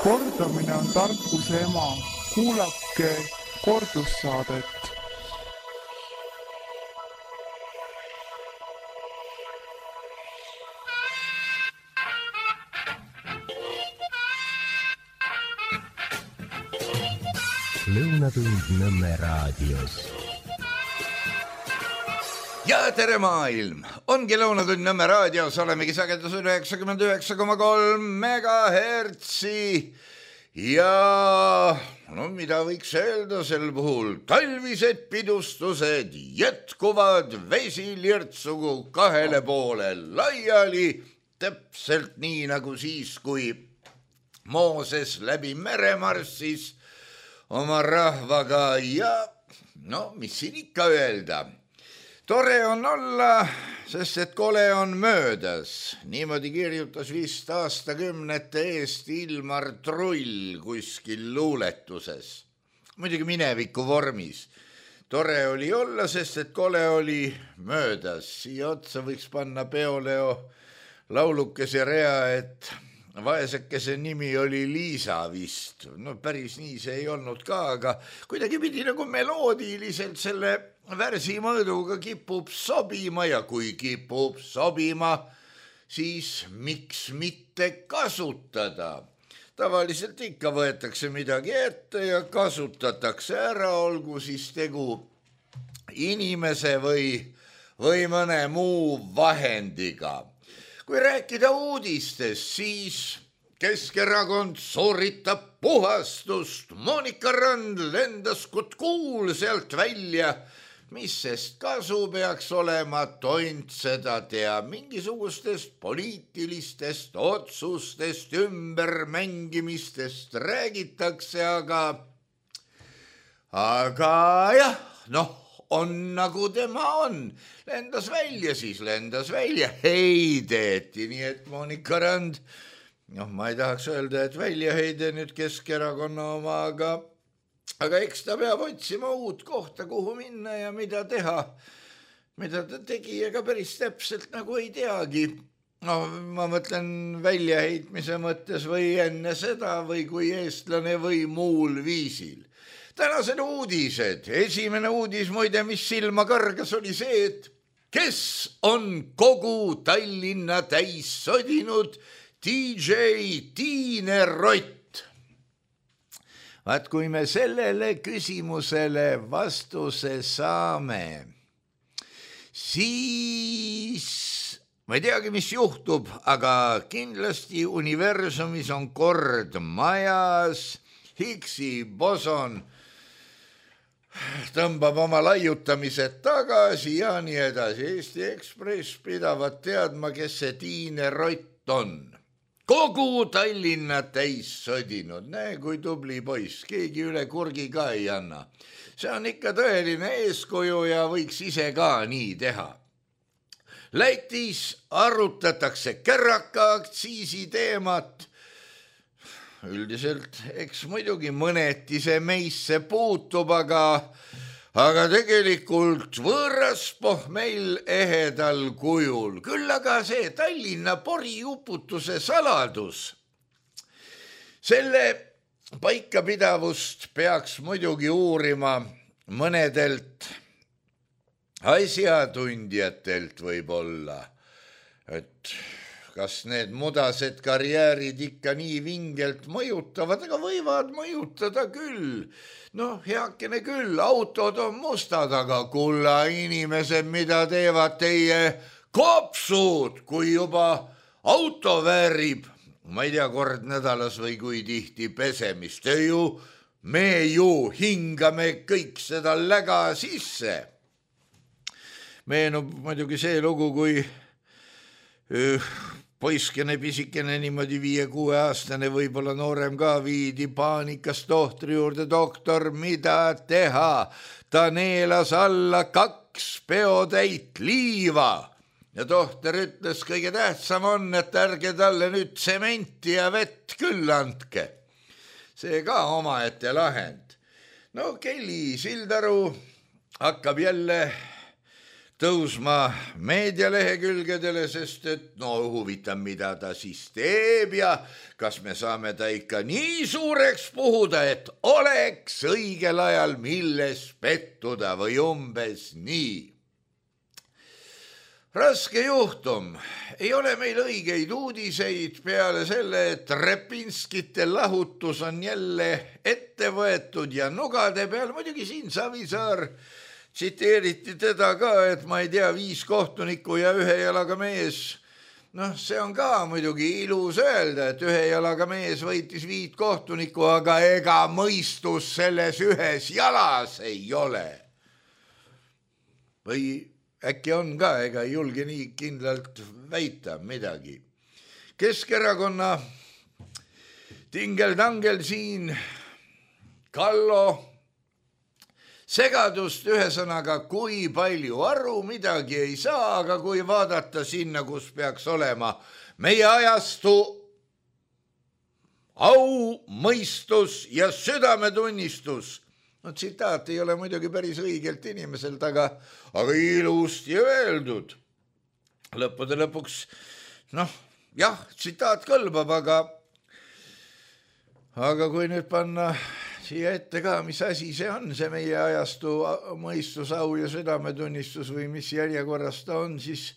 Kordamine on tarkuse ema. Kuulake kordussaadet. Lõunatund Nõmme raadios. Ja tere maailm! Ongi Lõunatund Nõmme raadios, olemegi sagedusel 99,3 megahertsi. Ja no mida võiks öelda sel puhul? Talvised pidustused jätkuvad vesilirtsugu kahele poole laiali, täpselt nii nagu siis, kui Mooses läbi mere marssis oma rahvaga ja no mis siin ikka öelda. Tore on olla, sest et kole on möödas. Niimoodi kirjutas vist aastakümnete eest Ilmar Trull kuskil luuletuses. Muidugi mineviku vormis. Tore oli olla, sest et kole oli möödas. Siia otsa võiks panna Peoleo laulukese rea, et vaesekese nimi oli Liisa vist. No päris nii see ei olnud ka, aga kuidagi pidi nagu meloodiliselt selle värsi mõõduga kipub sobima ja kui kipub sobima, siis miks mitte kasutada. Tavaliselt ikka võetakse midagi ette ja kasutatakse ära, olgu siis tegu inimese või mõne muu vahendiga. Kui rääkida uudistest, siis Keskerakond sooritab puhastust. Monika Rand lendas kuul sealt välja. Mis sest kasu peaks olema, tont seda tea. Mingisugustest poliitilistest otsustest, ümbermängimistest räägitakse, aga jah, noh. On nagu tema on. Lendas välja, siis lendas välja. Heideti, nii et Monika Rand, ma ei tahaks öelda, et väljaheide nüüd Keskerakonna oma, aga eks ta peab otsima uut kohta, kuhu minna ja mida teha. Mida ta tegi, ega päris täpselt nagu ei teagi. No, ma mõtlen väljaheitmise mõttes või enne seda või kui eestlane või muul viisil. Tänased uudised. Esimene uudis muide, mis silma kõrgas, oli see, et kes on kogu Tallinna täis sodinud DJ Tiine Rott. Vaat kui me sellele küsimusele vastuse saame, siis ma ei teagi, mis juhtub, aga kindlasti universumis on kord majas. Higgsi boson tõmbab oma laiutamised tagasi ja nii edasi. Eesti Ekspress pidavad teadma, kes see Tiine Rott on. Kogu Tallinna täis sodinud. Näe, kui tubli poiss. Keegi üle kurgi ka ei anna. See on ikka tõeline eeskuju ja võiks ise ka nii teha. Lätis arutatakse kärraka aktsiisi teemat. Üldiselt, eks muidugi mõneti see meisse puutub, aga tegelikult võõras meil ehedal kujul. Küll aga see Tallinna poriuputuse saladus. Selle paikapidavust peaks muidugi uurima mõnedelt asjatundjatelt võib-olla, et kas need mudased karjäärid ikka nii vingelt mõjutavad, aga võivad mõjutada küll. No heakene küll, autod on mustad, aga kulla inimesed, mida teevad teie kopsud, kui juba auto väärib, ma ei tea, kord nädalas või kui tihti pesemist. Me ju hingame kõik seda läga sisse. Meenub muidugi see lugu, kui poiskene pisikene niimoodi 5-6 aastane, võib-olla noorem ka, viidi paanikas tohtri juurde. Doktor, mida teha? Ta neelas alla 2 peotäit liiva. Ja tohter ütles, kõige tähtsam on, et ärge talle nüüd tsementi ja vett küll andke. See ka omaette lahend. No Kelly Sildaru hakkab jälle tõusma meedialehekülgedele, sest et no huvitav, mida ta siis teeb ja kas me saame ta ikka nii suureks puhuda, et oleks õigel ajal milles pettuda või umbes nii. Raske juhtum, ei ole meil õigeid uudiseid peale selle, et Repinskite lahutus on jälle ette võetud ja nugade peal, muidugi siin Savisaar tsiteeriti teda ka, et ma ei tea, 5 kohtunikku ja 1 jalaga mees. Noh, see on ka muidugi ilus öelda, et 1 jalaga mees võitis 5 kohtunikku, aga ega mõistus selles 1 jalas ei ole. Või äkki on ka, ega ei julge nii kindlalt väita midagi. Keskerakonna tingel-tangel siin, Kallo, segadust ühesõnaga, kui palju aru midagi ei saa, aga kui vaadata sinna, kus peaks olema meie ajastu au, mõistus ja südametunnistus. No tsitaat ei ole muidugi päris õigelt inimeselt, aga ilusti öeldud. Lõppude lõpuks, jah, tsitaat kõlbab, aga kui nüüd panna siia ette ka, mis asi see on, see meie ajastu mõistus, au ja südametunnistus või mis järjekorras ta on, siis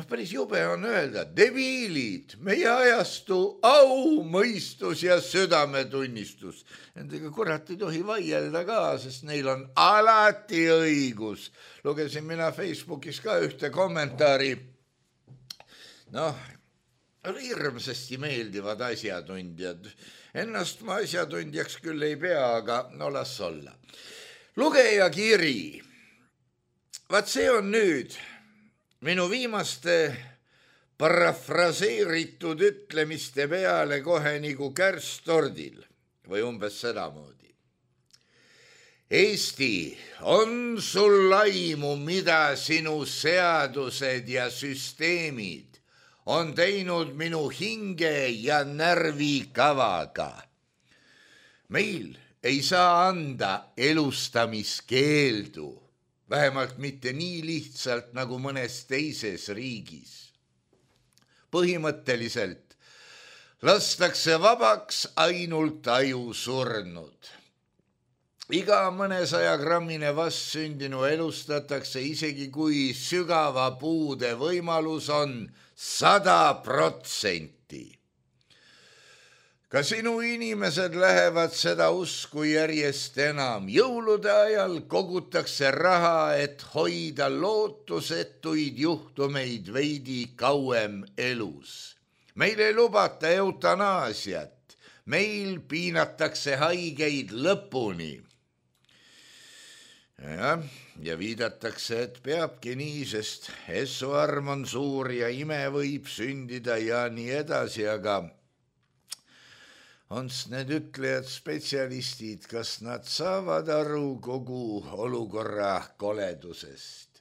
päris jube on öelda, debiilid, meie ajastu au, mõistus ja südametunnistus. Nendega kurat ei tohi vaielda ka, sest neil on alati õigus. Lugesin mina Facebookis ka ühte kommentaari. Hirmsasti meeldivad asjatundjad. Ennast ma asjatundjaks küll ei pea, aga las olla. Lugeja kiri. Vaat see on nüüd minu viimaste parafraseeritud ütlemiste peale kohe nagu kärstordil või umbes sedamoodi. Eesti, on sul aimu, mida sinu seadused ja süsteemid on teinud minu hinge ja närvikavaga? Meil ei saa anda elustamiskeeldu. Vähemalt mitte nii lihtsalt nagu mõnes teises riigis. Põhimõtteliselt lastakse vabaks ainult aju surnud. Iga mõnesajagrammine vastsündinu elustatakse, isegi kui sügava puude võimalus on 100%. Ka sinu inimesed lähevad seda usku järjest enam. Jõulude ajal kogutakse raha, et hoida lootusetuid juhtumeid veidi kauem elus. Meil ei lubata eutanaasiat, meil piinatakse haigeid lõpuni. Ja viidatakse, et peabki nii, sest essuarm on suur ja ime võib sündida ja nii edasi, aga on need ütlejad spetsialistid, kas nad saavad aru kogu olukorra koledusest?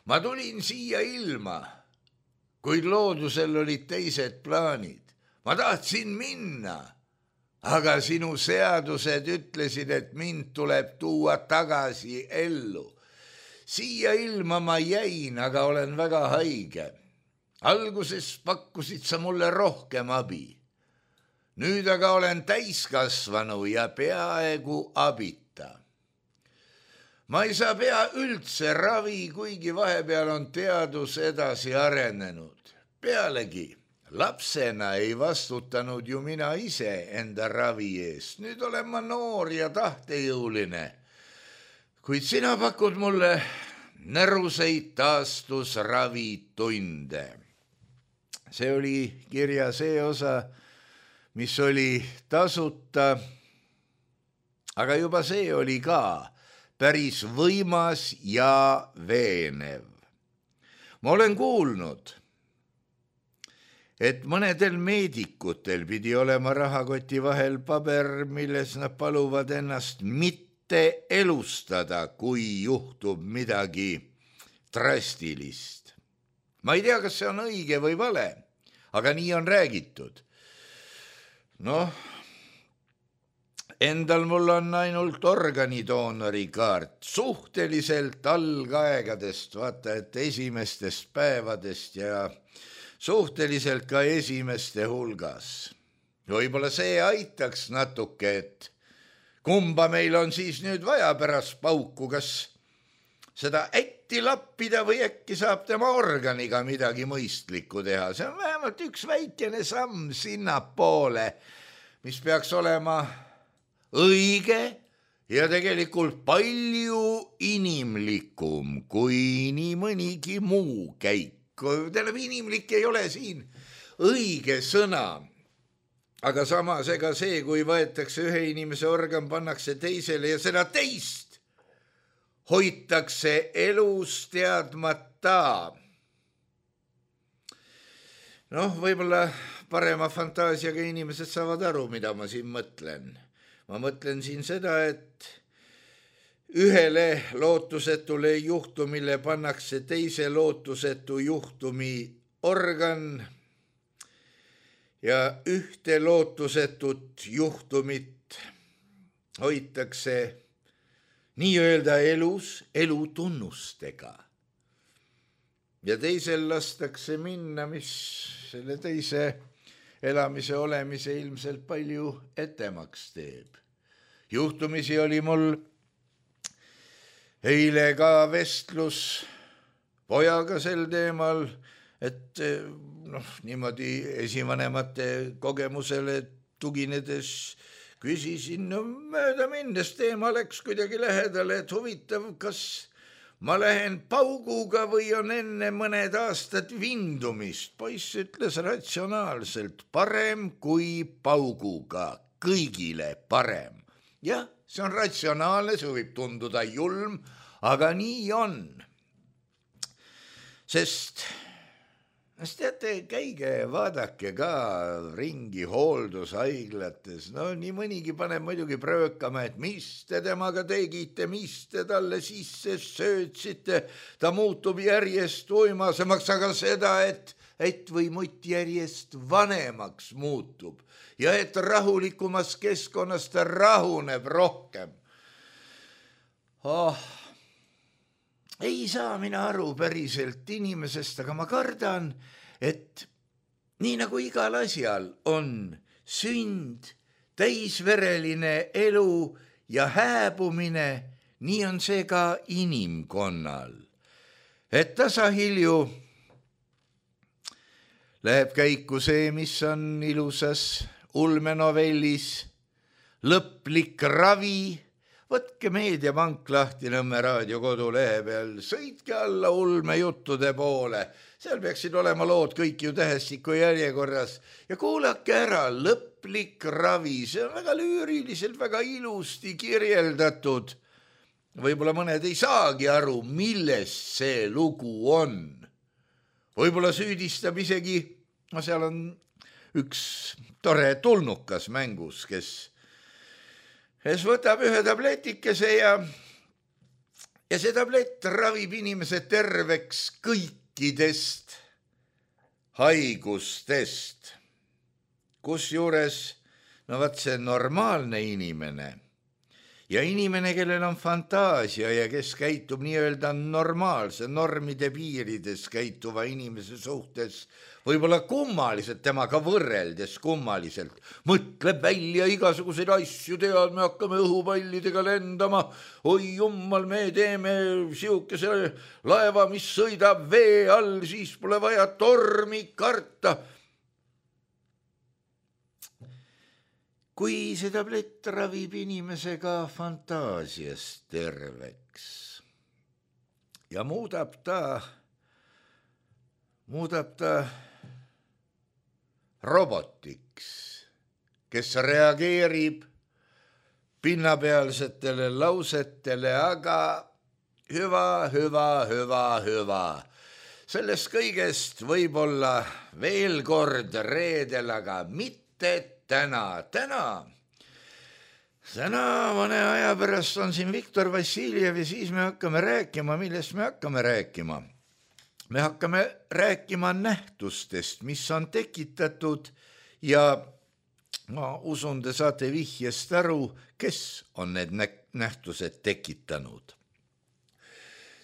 Ma tulin siia ilma, kuid loodusel olid teised plaanid. Ma tahtsin minna, aga sinu seadused ütlesid, et mind tuleb tuua tagasi ellu. Siia ilma ma jäin, aga olen väga haige. Alguses pakkusid sa mulle rohkem abi. Nüüd aga olen täiskasvanu ja peaaegu abita. Ma ei saa pea üldse ravi, kuigi vahepeal on teadus edasi arenenud. Pealegi, lapsena ei vastutanud ju mina ise enda ravi eest. Nüüd olen ma noor ja tahtejõuline. Kuid sina pakud mulle näruseid taastusravitunde. See oli kirja see osa, mis oli tasuta, aga juba see oli ka päris võimas ja veenev. Ma olen kuulnud, et mõnedel meedikutel pidi olema rahakoti vahel paber, milles nad paluvad ennast mitte elustada, kui juhtub midagi drastilist. Ma ei tea, kas see on õige või vale, aga nii on räägitud. Endal mul on ainult organidoonori kaart, suhteliselt algaegadest, vaata, et esimestest päevadest ja suhteliselt ka esimeste hulgas. Võib-olla see aitaks natuke, et kumba meil on siis nüüd vaja pärast pauku, kas seda ätti lappida või äkki saab tema organiga midagi mõistlikku teha. See on vähemalt üks väikene samm sinnapoole, mis peaks olema õige ja tegelikult palju inimlikum kui nii mõnigi muu käik. Tähendab, inimlik ei ole siin õige sõna, aga samas ega see, kui võetakse ühe inimese organ, pannakse teisele ja seda teist hoitakse elus teadmata. Noh, võib-olla parema fantaasiaga inimesed saavad aru, mida ma siin mõtlen. Ma mõtlen siin seda, et ühele lootusetule juhtumile pannakse teise lootusetu juhtumi organ ja ühte lootusetut juhtumit hoitakse nii-öelda elus elutunnustega. Ja teisel lastakse minna, mis selle teise elamise olemise ilmselt palju etemaks teeb. Juhtumisi oli mul eile ka vestlus pojaga sel teemal, et niimoodi esivanemate kogemusele tuginedes küsisin, mööda minnes teema läks kuidagi lähedale, et huvitav, kas ma lähen pauguga või on enne mõned aastad vindumist. Poiss ütles ratsionaalselt, parem kui pauguga, kõigile parem. Jah, see on ratsionaalne, see võib tunduda julm, aga nii on. Sest teate, käige, vaadake ka ringi hooldushaiglates. No nii mõnigi paneb muidugi pröökama, et mis te temaga tegite, mis te talle sisse söötsite. Ta muutub järjest uimasemaks, aga seda, et või mutt järjest vanemaks muutub ja et rahulikumas keskkonnas ta rahuneb rohkem. Ei saa mina aru päriselt inimesest, aga ma kardan, et nii nagu igal asjal on sünd, täisvereline elu ja hääbumine, nii on see ka inimkonnal. Et tasahilju läheb käiku see, mis on ilusas ulmenovellis lõplik ravi. Võtke Meediapank lahti Nõmme raadio kodulehe peal, sõitke alla ulmejuttude poole. Seal peaksid olema lood kõik ju tähestiku järjekorras ja kuulake ära lõplik ravi. See on väga lüüriliselt, väga ilusti kirjeldatud. Võib-olla mõned ei saagi aru, millest see lugu on. Võib-olla süüdistab isegi, seal on üks tore tulnukas mängus, kes võtab ühe tabletikese ja see tablett ravib inimese terveks kõikidest haigustest. Kusjuures, see normaalne inimene ja inimene, kellel on fantaasia ja kes käitub nii-öelda normaalse normide piirides käituva inimese suhtes, võib-olla kummaliselt, temaga võrreldes kummaliselt, mõtleb välja igasuguseid asju, tead, me hakkame õhupallidega lendama, oi jummal, me teeme siukese laeva, mis sõidab vee all, siis pole vaja tormi karta. Kui see tablett ravib inimesega fantaasiast terveks ja muudab ta robotiks, kes reageerib pinnapealsetele lausetele, aga hüva. Sellest kõigest võib-olla veel kord reedel, aga mitte täna mõne aja pärast on siin Viktor Vassiljev ja siis me hakkame rääkima, millest me hakkame rääkima. Me hakkame rääkima nähtustest, mis on tekitatud ja Ma usun, te saate vihjest aru, kes on need nähtused tekitanud.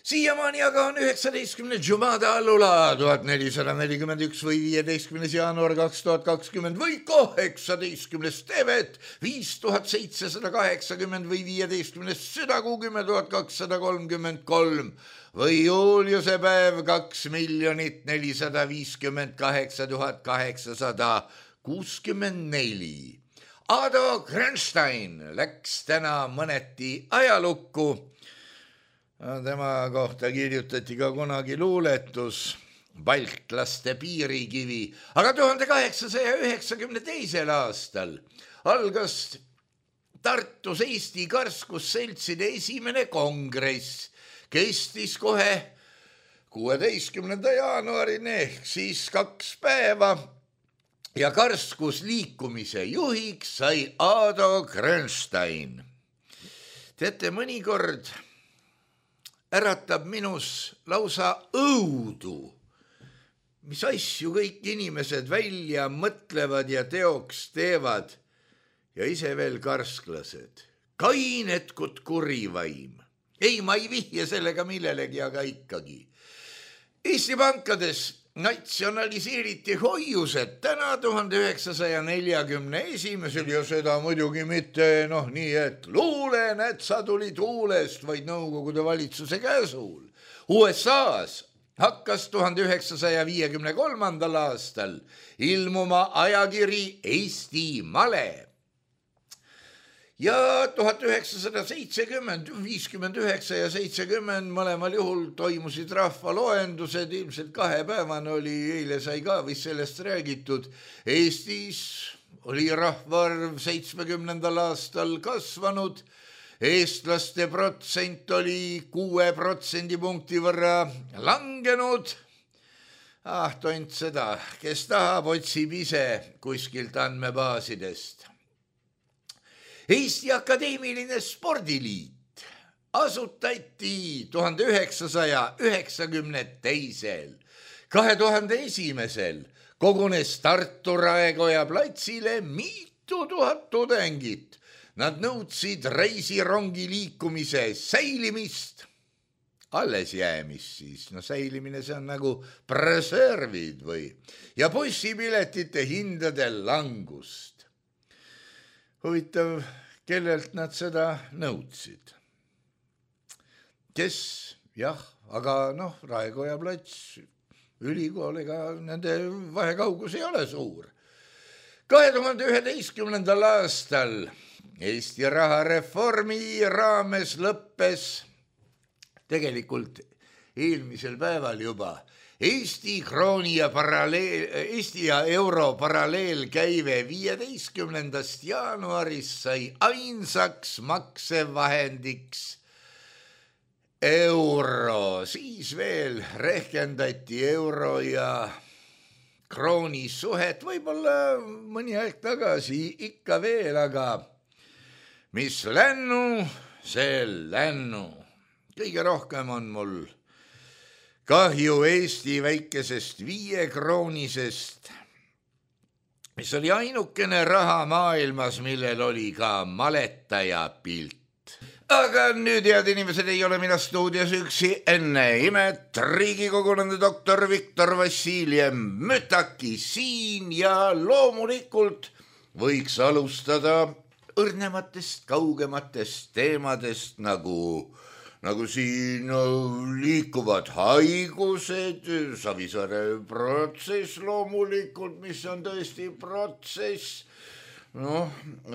Siiamaani aga on 19. Jumada Allula 1441 või 15. jaanuar 2020 või 18. Tevet 5780 või 15. südakuu 10.233 või juuliuse päev 2,048,864. Ado Grenstein läks täna mõneti ajalukku. Tema kohta kirjutati ka kunagi luuletus Baltlaste piirikivi, aga 1892. aastal algas Tartus Eesti karskusseltside esimene kongress, kestis kohe 16. jaanuarini ehk siis 2 päeva ja karskusliikumise juhiks sai Ado Grenstein. Teate, mõnikord äratab minus lausa õudu, mis asju kõik inimesed välja mõtlevad ja teoks teevad ja ise veel karsklased. Kainetkud kurivaim. Ei, ma ei vihje sellega millelegi, aga ikkagi. Eesti pankades natsionaliseeriti hoiused täna 1941 ja seda muidugi mitte nii, et luulenätsa tuli tuulest, vaid Nõukogude valitsuse käsul. USA-s hakkas 1953. aastal ilmuma ajakiri Eesti Male. Ja 1970, 59 ja 70 mõlemal juhul toimusid rahvaloendused, ilmselt 2 päevane oli, eile sai ka vist sellest räägitud. Eestis oli rahvaarv 70. aastal kasvanud, eestlaste protsent oli 6% võrra langenud. Tont seda, kes tahab, otsib ise kuskilt andmebaasidest. Eesti Akadeemiline Spordiliit asutati 1992. 2001. kogunes Tartu Raekoja platsile mitu tuhat tudengit. Nad nõudsid reisirongi liikumise säilimist, alles jäämist siis, säilimine see on nagu preservid ja bussipiletite hindade langust. Huvitav, kellelt nad seda nõudsid? Kes? Jah, aga Raekoja plats, ülikool, ega nende vahekaugus ei ole suur. 2011. aastal Eesti rahareformi raames lõppes tegelikult eelmisel päeval juba Eesti krooni ja Eesti ja euro paralleelkäive 15. jaanuarist sai ainsaks maksevahendiks euro. Siis veel rehkendati euro ja krooni suhet, võib-olla mõni aeg tagasi ikka veel, aga mis lännu, see lännu. Kõige rohkem on mul kahju Eesti väikesest 5-kroonisest, mis oli ainukene raha maailmas, millel oli ka maletaja pilt. Aga nüüd, head inimesed, ei ole mina stuudios üksi. Enne imet Riigikogunende doktor Viktor Vassiljev Mütaki siin ja loomulikult võiks alustada õrnematest, kaugematest teemadest nagu siin liikuvad haigused, Savisaare protsess loomulikult, mis on tõesti protsess.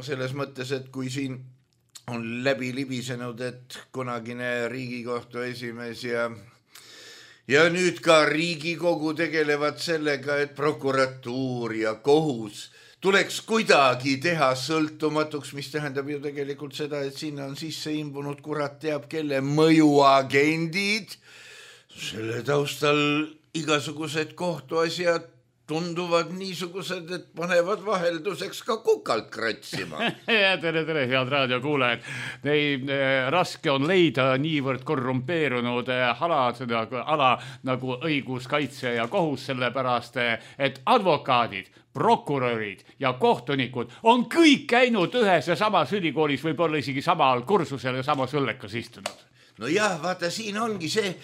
Selles mõttes, et kui siin on läbi libisenud, et kunagine Riigikohtu esimees ja nüüd ka Riigikogu tegelevad sellega, et prokuratuur ja kohus tuleks kuidagi teha sõltumatuks, mis tähendab ju tegelikult seda, et sinna on sisse imbunud kurat teab kelle mõjuagendid. Selle taustal igasugused kohtuasjad tunduvad niisugused, et panevad vahelduseks ka kukalt kratsima. tere, head raadiokuulajad. Raske on leida niivõrd korrumpeerunud ala nagu õiguskaitse ja kohus, sellepärast, et advokaadid, prokurörid ja kohtunikud on kõik käinud ühes ja samas ülikoolis, võib-olla isegi samal kursusel ja samas õllekas istunud. No jah, vaata, siin ongi see...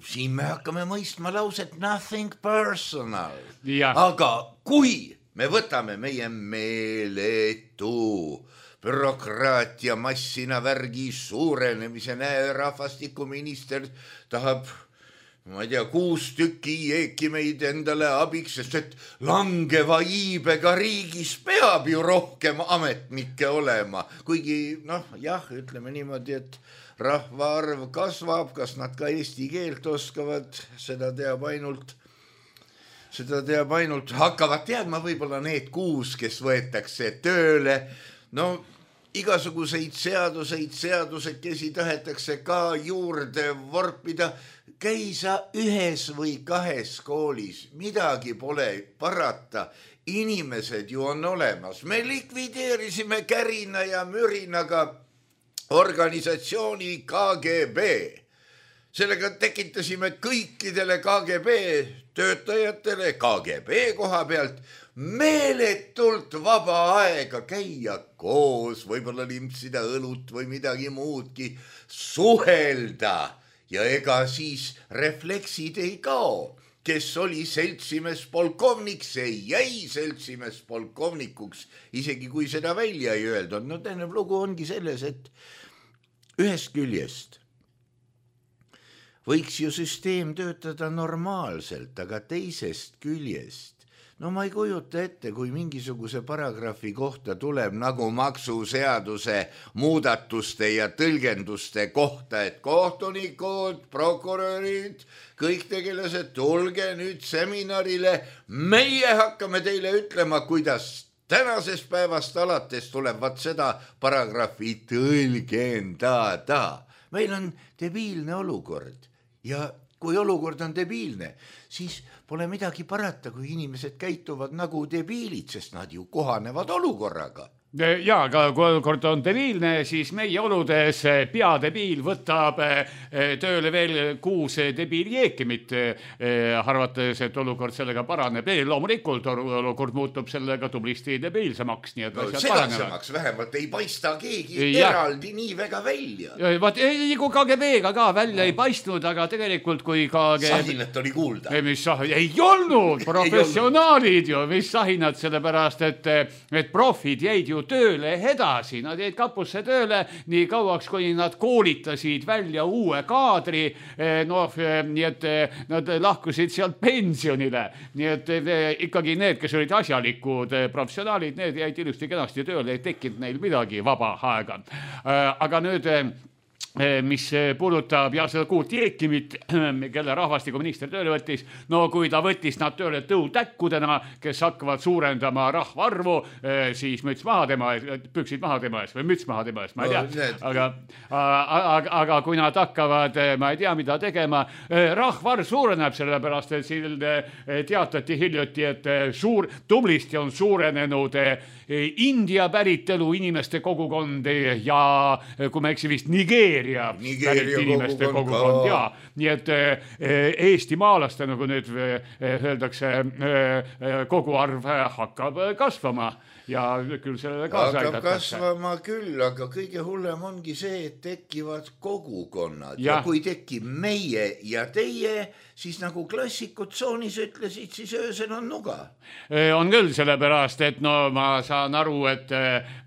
Siin me hakkame mõistma lauset nothing personal. Aga kui me võtame meie meeletu bürokraatia massina värgi suurenemise, rahvastikuminister tahab, ma ei tea, 6 tükki jeekimeid endale abiks, sest et langeva iibega riigis peab ju rohkem ametnikke olema. Kuigi, jah, ütleme niimoodi, et rahvaarv kasvab, kas nad ka eesti keelt oskavad, seda teab ainult, hakkavad teadma võib-olla need 6, kes võetakse tööle. No igasuguseid seadusekesi tahetakse ka juurde vorpida. Käi sa 1 või 2 koolis, midagi pole parata. Inimesed ju on olemas. Me likvideerisime Kärina ja Mürinaga organisatsiooni KGB. Sellega tekitasime kõikidele KGB töötajatele KGB koha pealt meeletult vaba aega käia koos, võib-olla limpsida õlut või midagi muudki, suhelda ja ega siis refleksid ei kao. Kes oli seltsimees polkovnik, see jäi seltsimees polkovnikuks, isegi kui seda välja ei öeldud. No tähendab, lugu ongi selles, et ühest küljest võiks ju süsteem töötada normaalselt, aga teisest küljest, no ma ei kujuta ette, kui mingisuguse paragrahvi kohta tuleb nagu maksuseaduse muudatuste ja tõlgenduste kohta, et kohtunikud, prokurörid, kõik tegelased, tulge nüüd seminarile, meie hakkame teile ütlema, kuidas tänasest päevast alates tuleb seda paragrahvi tõlgendada. Meil on debiilne olukord ja kui olukord on debiilne, siis pole midagi parata, kui inimesed käituvad nagu debiilid, sest nad ju kohanevad olukorraga. Jaa, aga kui olukord on debiilne, siis meie oludes peadebiil võtab tööle veel 6 debiiljeekimit, arvates, et olukord sellega paraneb. Loomulikult olukord muutub sellega tublisti debiilsemaks. Segasemaks vähemalt ei paista keegi eraldi nii väga välja. Kui KGB-ga ka välja ei paistnud, aga tegelikult kui KGB... Sahinat oli kuulda. Ei olnud professionaalid ju, mis sahinad, sellepärast, et profid jäid ju tööle edasi, nad jäid kapusse tööle nii kauaks, kui nad koolitasid välja uue kaadri, nii et nad lahkusid sealt pensionile, nii et ikkagi need, kes olid asjalikud professionaalid, need jäid ilusti kenasti tööle, ei tekkinud neil midagi vaba aega. Aga nüüd mis puudutab seda 6 direktimit, kelle rahvastikuminister tööle võttis, no kui ta võttis nad tööle tõutäkkudena, kes hakkavad suurendama rahvaarvu, siis müts maha tema ees, püksid maha tema ees või müts maha tema ees, ma ei tea. Aga kui nad hakkavad, ma ei tea, mida tegema, rahvaarv suureneb sellepärast, et siin teatati hiljuti, et tublisti on suurenenud India päritelu inimeste kogukond ja kui ma eksi vist Nigeeria pärit inimeste kogukond, jaa. Nii et eestimaalaste, nagu nüüd öeldakse, koguarv hakkab kasvama ja küll sellele kaasa aidatakse. Hakkab kasvama küll, aga kõige hullem ongi see, et tekivad kogukonnad ja kui tekib meie ja teie, siis nagu klassikud tsoonis ütlesid, siis öösel on nuga. On küll sellepärast, et no ma saan aru, et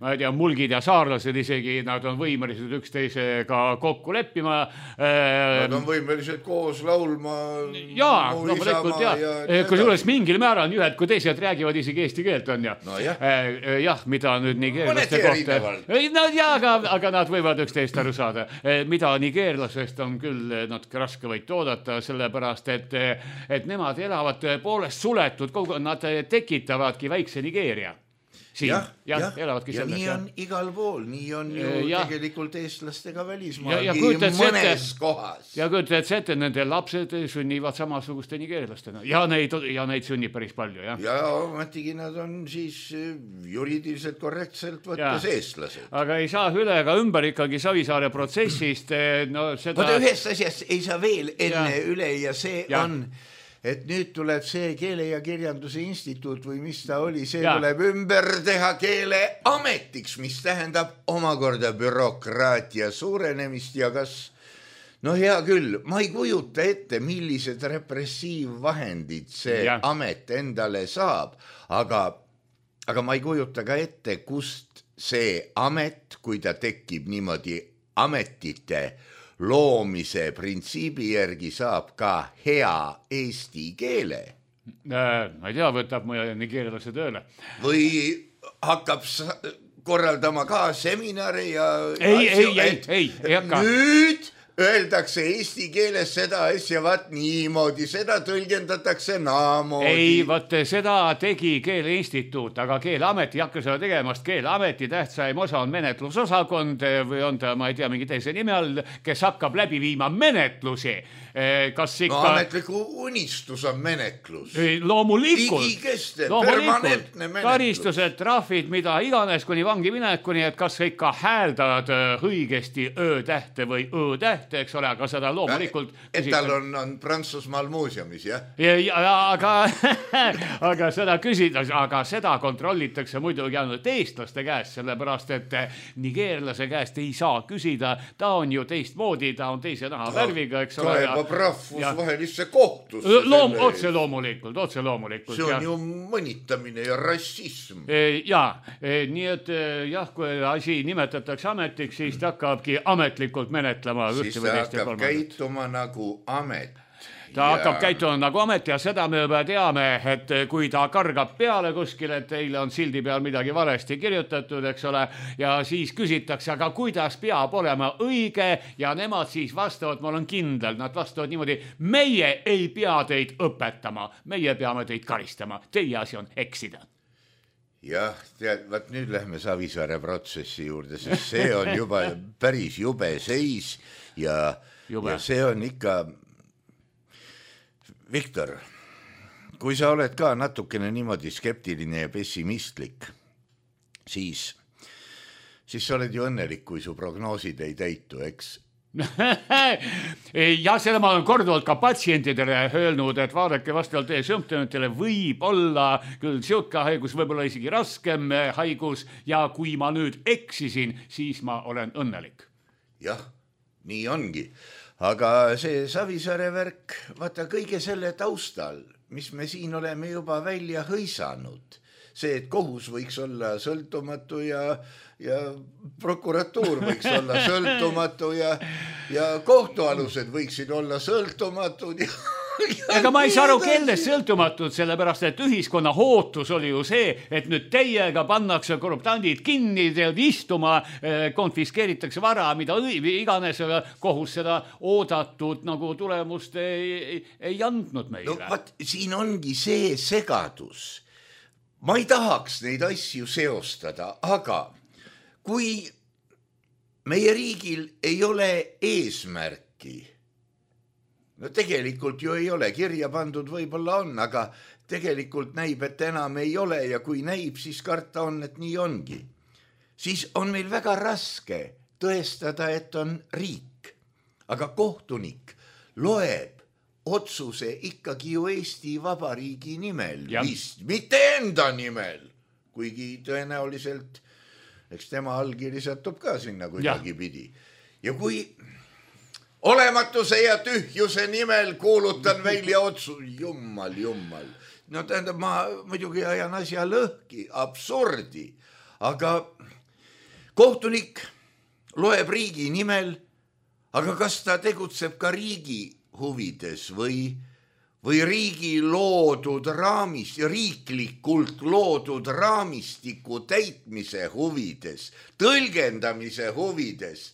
ma ei tea, mulgid ja saarlased isegi, nad on võimelised üksteisega kokku leppima. Nad on võimelised koos laulma. Jaa, no mõtlekuld jah. Kui suures mingil määral nii ühed kui teised räägivad isegi eesti keelt on ja. No jah. Jah, mida nüüd nigeerlaste kohta. No jah, aga nad võivad üksteist aru saada. Mida nigeerlasest on küll natuke raske võid toodata, sellepärast, et nemad elavad poolest suletud, nad tekitavadki väikse Nigeeria. siin. Jah, elavadki ja selles. Nii on igal pool, nii on ju tegelikult eestlastega välismaalgi mõnes kohas. Ja kujutad ette, nende lapsed sünnivad samasuguste nigeerlastena ja neid sünnib päris palju. Ja ometigi nad on siis juriidiliselt korrektselt võttes eestlased. Aga ei saa üle ega ümber ikkagi Savisaare protsessist. Oota, ühest asjast ei saa veel enne üle ja see on... et nüüd tuleb see Keele ja Kirjanduse Instituut või mis ta oli, see tuleb ümber teha Keeleametiks, mis tähendab omakorda bürokraatia suurenemist ja kas, no hea küll, ma ei kujuta ette, millised repressiivvahendid see amet endale saab, aga ma ei kujuta ka ette, kust see amet, kui ta tekib niimoodi ametite loomise printsiibi järgi saab ka hea eesti keele. Ma ei tea, võtab mu nigeerlase tööle. Või hakkab korraldama ka seminari ja... Ei hakka. Nüüd öeldakse eesti keeles seda asja, vaat niimoodi, seda tõlgendatakse naamoodi. Ei, vaat seda tegi Keeleinstituut, aga Keeleamet ei hakka seda tegemast. Keeleameti tähtsaim osa on menetlusosakond või on ta, ma ei tea, mingi teise nime all, kes hakkab läbi viima menetlusi. Kas ikka... No ametliku unistus on menetlus. Loomulikult. Igikestev, permanentne menetlus. Karistused, trahvid, mida iganes kuni vangi minekuni, et kas ikka hääldad õigesti ö-tähte või ö-tähte, eks ole, aga seda loomulikult... Et tal on Prantsusmaal muuseumis, jah? Aga seda küsida, aga seda kontrollitakse muidugi ainult eestlaste käest, sellepärast, et nigeerlase käest ei saa küsida, ta on ju teistmoodi, ta on teise naha värviga, eks ole. Rahvusvahelisse kohtusse. Otse loomulikult. See on ju mõnitamine ja rassism. Nii et jah, kui asi nimetatakse ametiks, siis ta hakkabki ametlikult menetlema. Siis ta hakkab käituma nagu amet. Ta hakkab käituma nagu amet ja seda me juba teame, et kui ta kargab peale kuskil, et teile on sildi peal midagi valesti kirjutatud, eks ole, ja siis küsitakse, aga kuidas peab olema õige ja nemad siis vastavad, ma olen kindel, nad vastavad niimoodi, meie ei pea teid õpetama, meie peame teid karistama, teie asi on eksida. Jah, vaat nüüd lähme Savisaare protsessi juurde, sest see on juba päris jube seis ja see on ikka... Viktor, kui sa oled ka natukene niimoodi skeptiline ja pessimistlik, siis sa oled ju õnnelik, kui su prognoosid ei täitu, eks? Ja selle ma olen korduvalt ka patsientidele öelnud, et vaadake vastavalt teie sümptomitele võib olla küll siuke haigus, võib-olla isegi raskem haigus ja kui ma nüüd eksisin, siis ma olen õnnelik. Jah, nii ongi. Aga see Savisaare värk, vaata kõige selle taustal, mis me siin oleme juba välja hõisanud, see, et kohus võiks olla sõltumatu ja prokuratuur võiks olla sõltumatu ja kohtualused võiksid olla sõltumatud Ega ma ei saa aru, kelle sõltumatud, sellepärast, et ühiskonna hootus oli ju see, et nüüd teiega pannakse korruptandid kinni, tead istuma, konfiskeeritakse vara, mida iganes, kohus seda oodatud nagu tulemust ei andnud meile. No vaat, siin ongi see segadus. Ma ei tahaks neid asju seostada, aga kui meie riigil ei ole eesmärki, no tegelikult ju ei ole, kirja pandud võib-olla on, aga tegelikult näib, et enam ei ole ja kui näib, siis karta on, et nii ongi. Siis on meil väga raske tõestada, et on riik, aga kohtunik loeb otsuse ikkagi ju Eesti Vabariigi nimel, mitte enda nimel, kuigi tõenäoliselt, eks tema allkiri satub ka sinna kuidagi pidi. Ja kui olematuse ja tühjuse nimel kuulutan välja otsus, jummal. No tähendab, ma muidugi ajan asja lõhki, absurdi, aga kohtunik loeb riigi nimel, aga kas ta tegutseb ka riigi huvides või riigi loodud riiklikult loodud raamistiku täitmise huvides, tõlgendamise huvides,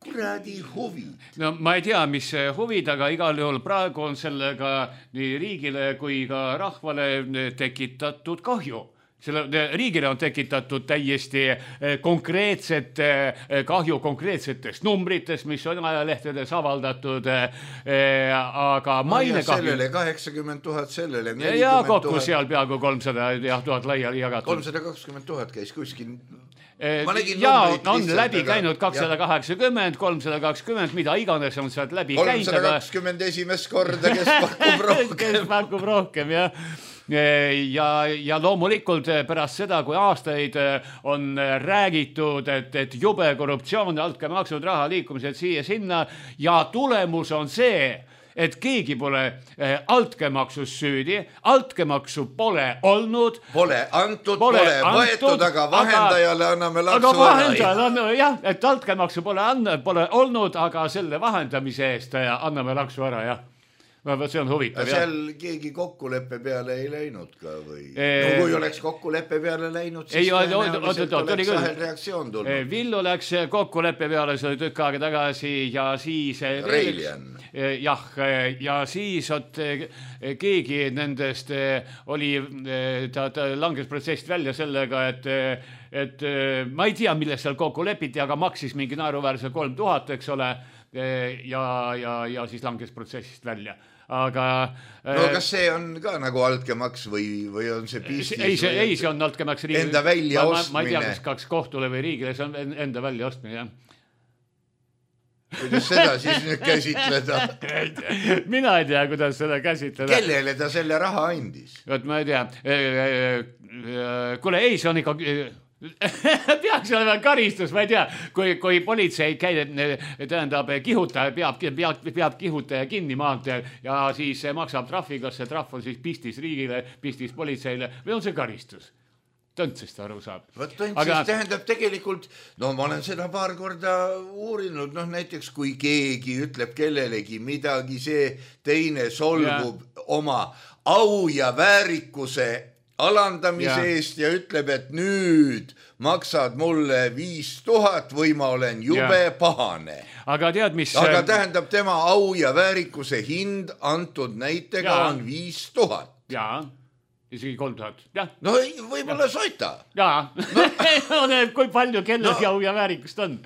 kuradi huvi. No ma ei tea, mis huvid, aga igal juhul praegu on sellega nii riigile kui ka rahvale tekitatud kahju. riigile on tekitatud täiesti konkreetset kahju konkreetsetest numbritest, mis on ajalehtedes avaldatud, aga maine kahju. Sellele 80 000, sellele 40 000. Ja kokku seal peaaegu 300 000 laiali jagatud. 320 000 käis kuskil. Ja on läbi käinud 280, 320, mida iganes on sealt läbi käinud. 320 esimest korda, kes pakub rohkem. Kes pakub rohkem, jah. Ja loomulikult pärast seda, kui aastaid on räägitud, et jube korruptsioon, altkäemaksud, raha liikumised siia sinna ja tulemus on see, et keegi pole altkäemaksus süüdi, altkäemaksu pole olnud. Pole antud, pole võetud, aga vahendajale anname laksu aga vahendajale anname, jah, et altkäemaksu pole olnud, aga selle vahendamise eest anname laksu ära, jah. See on huvitav, jah. Seal keegi kokkuleppe peale ei läinud ka või? No kui oleks kokkuleppe peale läinud, siis tõenäoliselt oleks sahel reaktsioon tulnud. Villu läks kokkuleppe peale, see oli tükk aega tagasi ja siis... Reiljan. Jah, ja siis keegi nendest oli, ta langes protsessist välja sellega, et ma ei tea, millest seal kokku lepiti, aga maksis mingi naeruväärse 3000, eks ole, ja siis langes protsessist välja. Aga no kas see on ka nagu altkäemaks või on see pistis? Ei, see on altkäemaks riigile. Enda välja ostmine. Ma ei tea, kas kohtule või riigile, see on enda välja ostmine, jah. Kuidas seda siis nüüd käsitleda? Mina ei tea, kuidas seda käsitleda. Kellele ta selle raha andis? Võt, ma ei tea. Kuule, ei, see on ikka... peaks olema karistus, ma ei tea, kui politsei tähendab kihutaja, peab kihutaja kinni maanteel ja siis maksab trahvi, kas see trahv on siis pistis riigile, pistis politseile või on see karistus? Tõntsest aru saab. Tõntsest tähendab tegelikult, no ma olen seda paar korda uurinud, näiteks kui keegi ütleb kellelegi midagi, see teine solgub oma au ja väärikuse alandamise eest ja ütleb, et nüüd maksad mulle 5000 või ma olen jube pahane. Aga tead, mis... Aga tähendab tema au ja väärikuse hind antud näitega on 5000. Jaa, isegi 3000. Ja. No võib-olla soita. Jaa, kui palju kellelgi au ja väärikust on.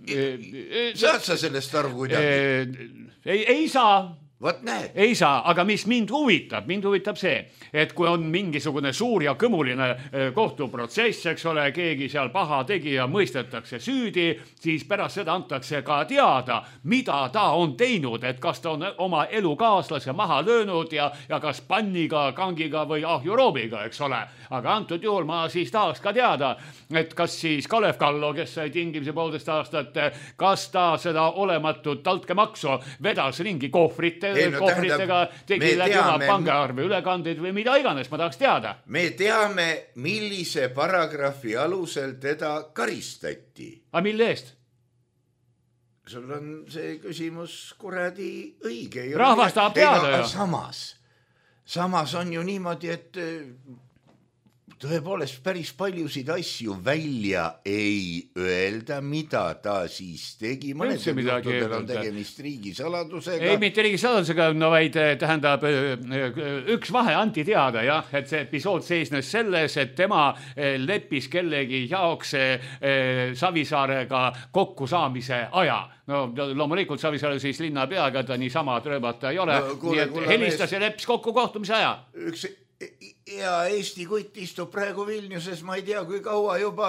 Saad sa sellest aru kuidagi? Ei saa. Võt näed. Ei saa, aga mis mind huvitab see, et kui on mingisugune suur ja kõmuline kohtuprotsess, eks ole, keegi seal paha tegija mõistetakse süüdi, siis pärast seda antakse ka teada, mida ta on teinud, et kas ta on oma elukaaslase maha löönud ja kas panniga, kangiga või ahjuroobiga, eks ole. Aga antud juhul ma siis tahaks ka teada, et kas siis Kalev Kallo, kes sai tingimise 1,5 aastat, kas ta seda olematut altkäemaksu vedas ringi kohvritega, tegi läbi oma pangaarve ülekandeid või mida iganes, ma tahaks teada. Me teame, millise paragrahvi alusel teda karistati. Aga mille eest? Sul on see küsimus kuradi õige. Rahvas tahab teada ju. Samas on ju niimoodi, et tõepoolest päris paljusid asju välja ei öelda, mida ta siis tegi. Mõned juhtudel on tegemist riigisaladusega. Ei, mitte riigisaladusega, no vaid tähendab üks vahe anti teada, jah, et see episood seisnes selles, et tema leppis kellegi jaoks Savisaarega kokkusaamise aja. No loomulikult Savisaare siis linnapeaga, ta niisama trööbata ei ole. Nii et helistas ja leppis kokku kohtumise aja. Ja Eesti kutt istub praegu Vilniuses, ma ei tea, kui kaua juba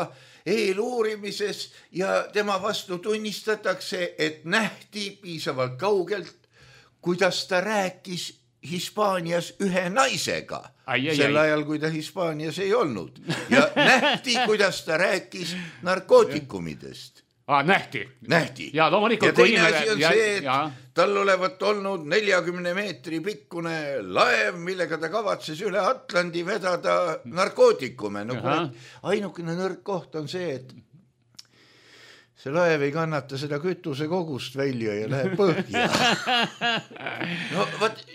eeluurimises ja tema vastu tunnistatakse, et nähti piisavalt kaugelt, kuidas ta rääkis Hispaanias ühe naisega. Sel ajal, kui ta Hispaanias ei olnud. Ja nähti, kuidas ta rääkis narkootikumidest. Nähti. Ja loomulikult. Ja teine asi on see, et tal olevat olnud 40 meetri pikkune laev, millega ta kavatses üle Atlandi vedada narkootikume. No, ainukene nõrk koht on see, et see laev ei kannata seda kütuse kogust välja ja läheb põhja. No,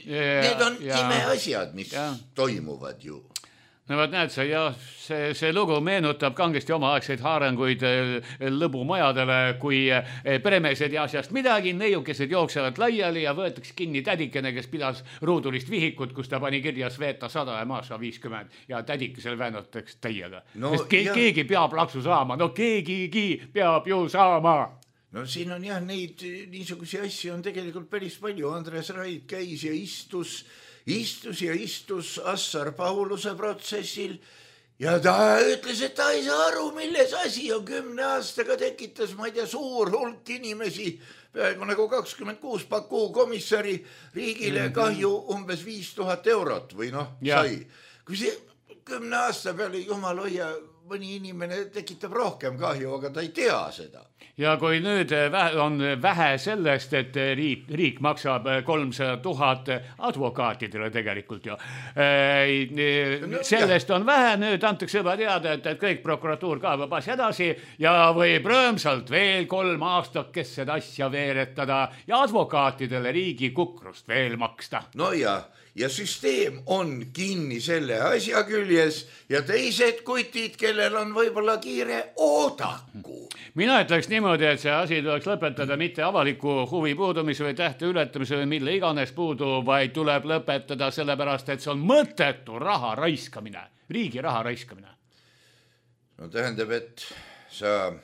need on imeasjad, mis toimuvad ju. no vaat näed sa, jah, see lugu meenutab kangesti omaaegseid haaranguid lõbumajadele, kui peremeesed ja asjast midagi, neiukesed jooksevad laiali ja võetakse kinni tädikene, kes pidas ruudulist vihikut, kus ta pani kirja Sveta 100 ja Maša 50 ja tädikesel väänatakse täiega. No, keegi peab laksu saama, no keegigi peab ju saama. No siin on jah, neid niisugusi asju on tegelikult päris palju. Andres Raid käis ja istus Assar Pauluse protsessil ja ta ütles, et ta ei saa aru, milles asi on. 10 aastaga tekitas, ma ei tea, suur hulk inimesi, peaaegu nagu 26 Baku komissari riigile kahju umbes 5000 eurot või sai. Kui see 10 aasta peale, jumal hoia, mõni inimene tekitab rohkem kahju, aga ta ei tea seda. Ja kui nüüd on vähe sellest, et riik maksab 300 000 advokaatidele tegelikult ju. Sellest on vähe, nüüd antakse juba teada, et kõik prokuratuur kaevab asja edasi ja võib rõõmsalt veel 3 aastakest seda asja veeretada ja advokaatidele riigi kukrust veel maksta. No ja süsteem on kinni selle asja küljes ja teised kutid, kellel on võib-olla kiire, oodaku. Mina ütleks niimoodi, et see asi tuleks lõpetada mitte avaliku huvi puudumise või tähte ületamise või mille iganes puudu, vaid tuleb lõpetada sellepärast, et see on mõttetu raha raiskamine, riigi raha raiskamine. No tähendab, et sa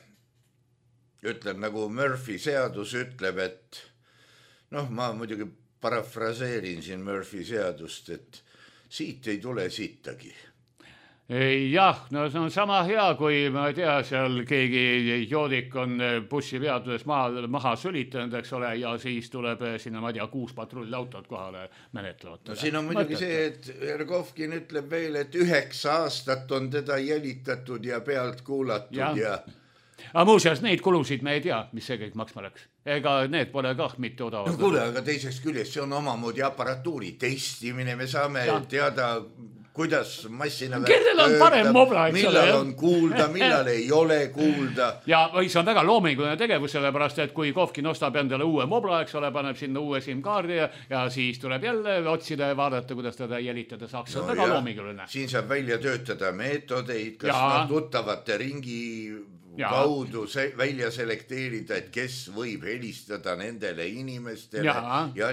ütled nagu Murphy seadus ütleb, et ma muidugi parafraseerin siin Murphy seadust, et siit ei tule sittagi. Jah, no see on sama hea, kui ma ei tea, seal keegi joodik on bussipeatuses maha sülitanud, eks ole, ja siis tuleb sinna, ma ei tea, 6 patrullautot kohale menetlevad. No siin on muidugi see, et Ergovkin ütleb veel, et 9 aastat on teda jälitatud ja pealt kuulatud ja... Aga muuseas, neid kulusid me ei tea, mis see kõik maksma läks. Ega need pole kah mitte odavad. No kuule, aga teiseks küljest see on omamoodi aparatuuri testimine, me saame teada, kuidas massina kellel on parem mobla, eks millal on kuulda, millal ei ole kuulda. Ja see on väga loominguline tegevus, sellepärast, et kui Kovkin ostab endale uue mobla, eks ole, paneb sinna uue SIM-kaardi ja siis tuleb jälle otsida ja vaadata, kuidas teda jälitada saaks. See on väga loominguline. Siin saab välja töötada meetodeid, kas tuttavate ringi kaudu välja selekteerida, et kes võib helistada nendele inimestele. Ja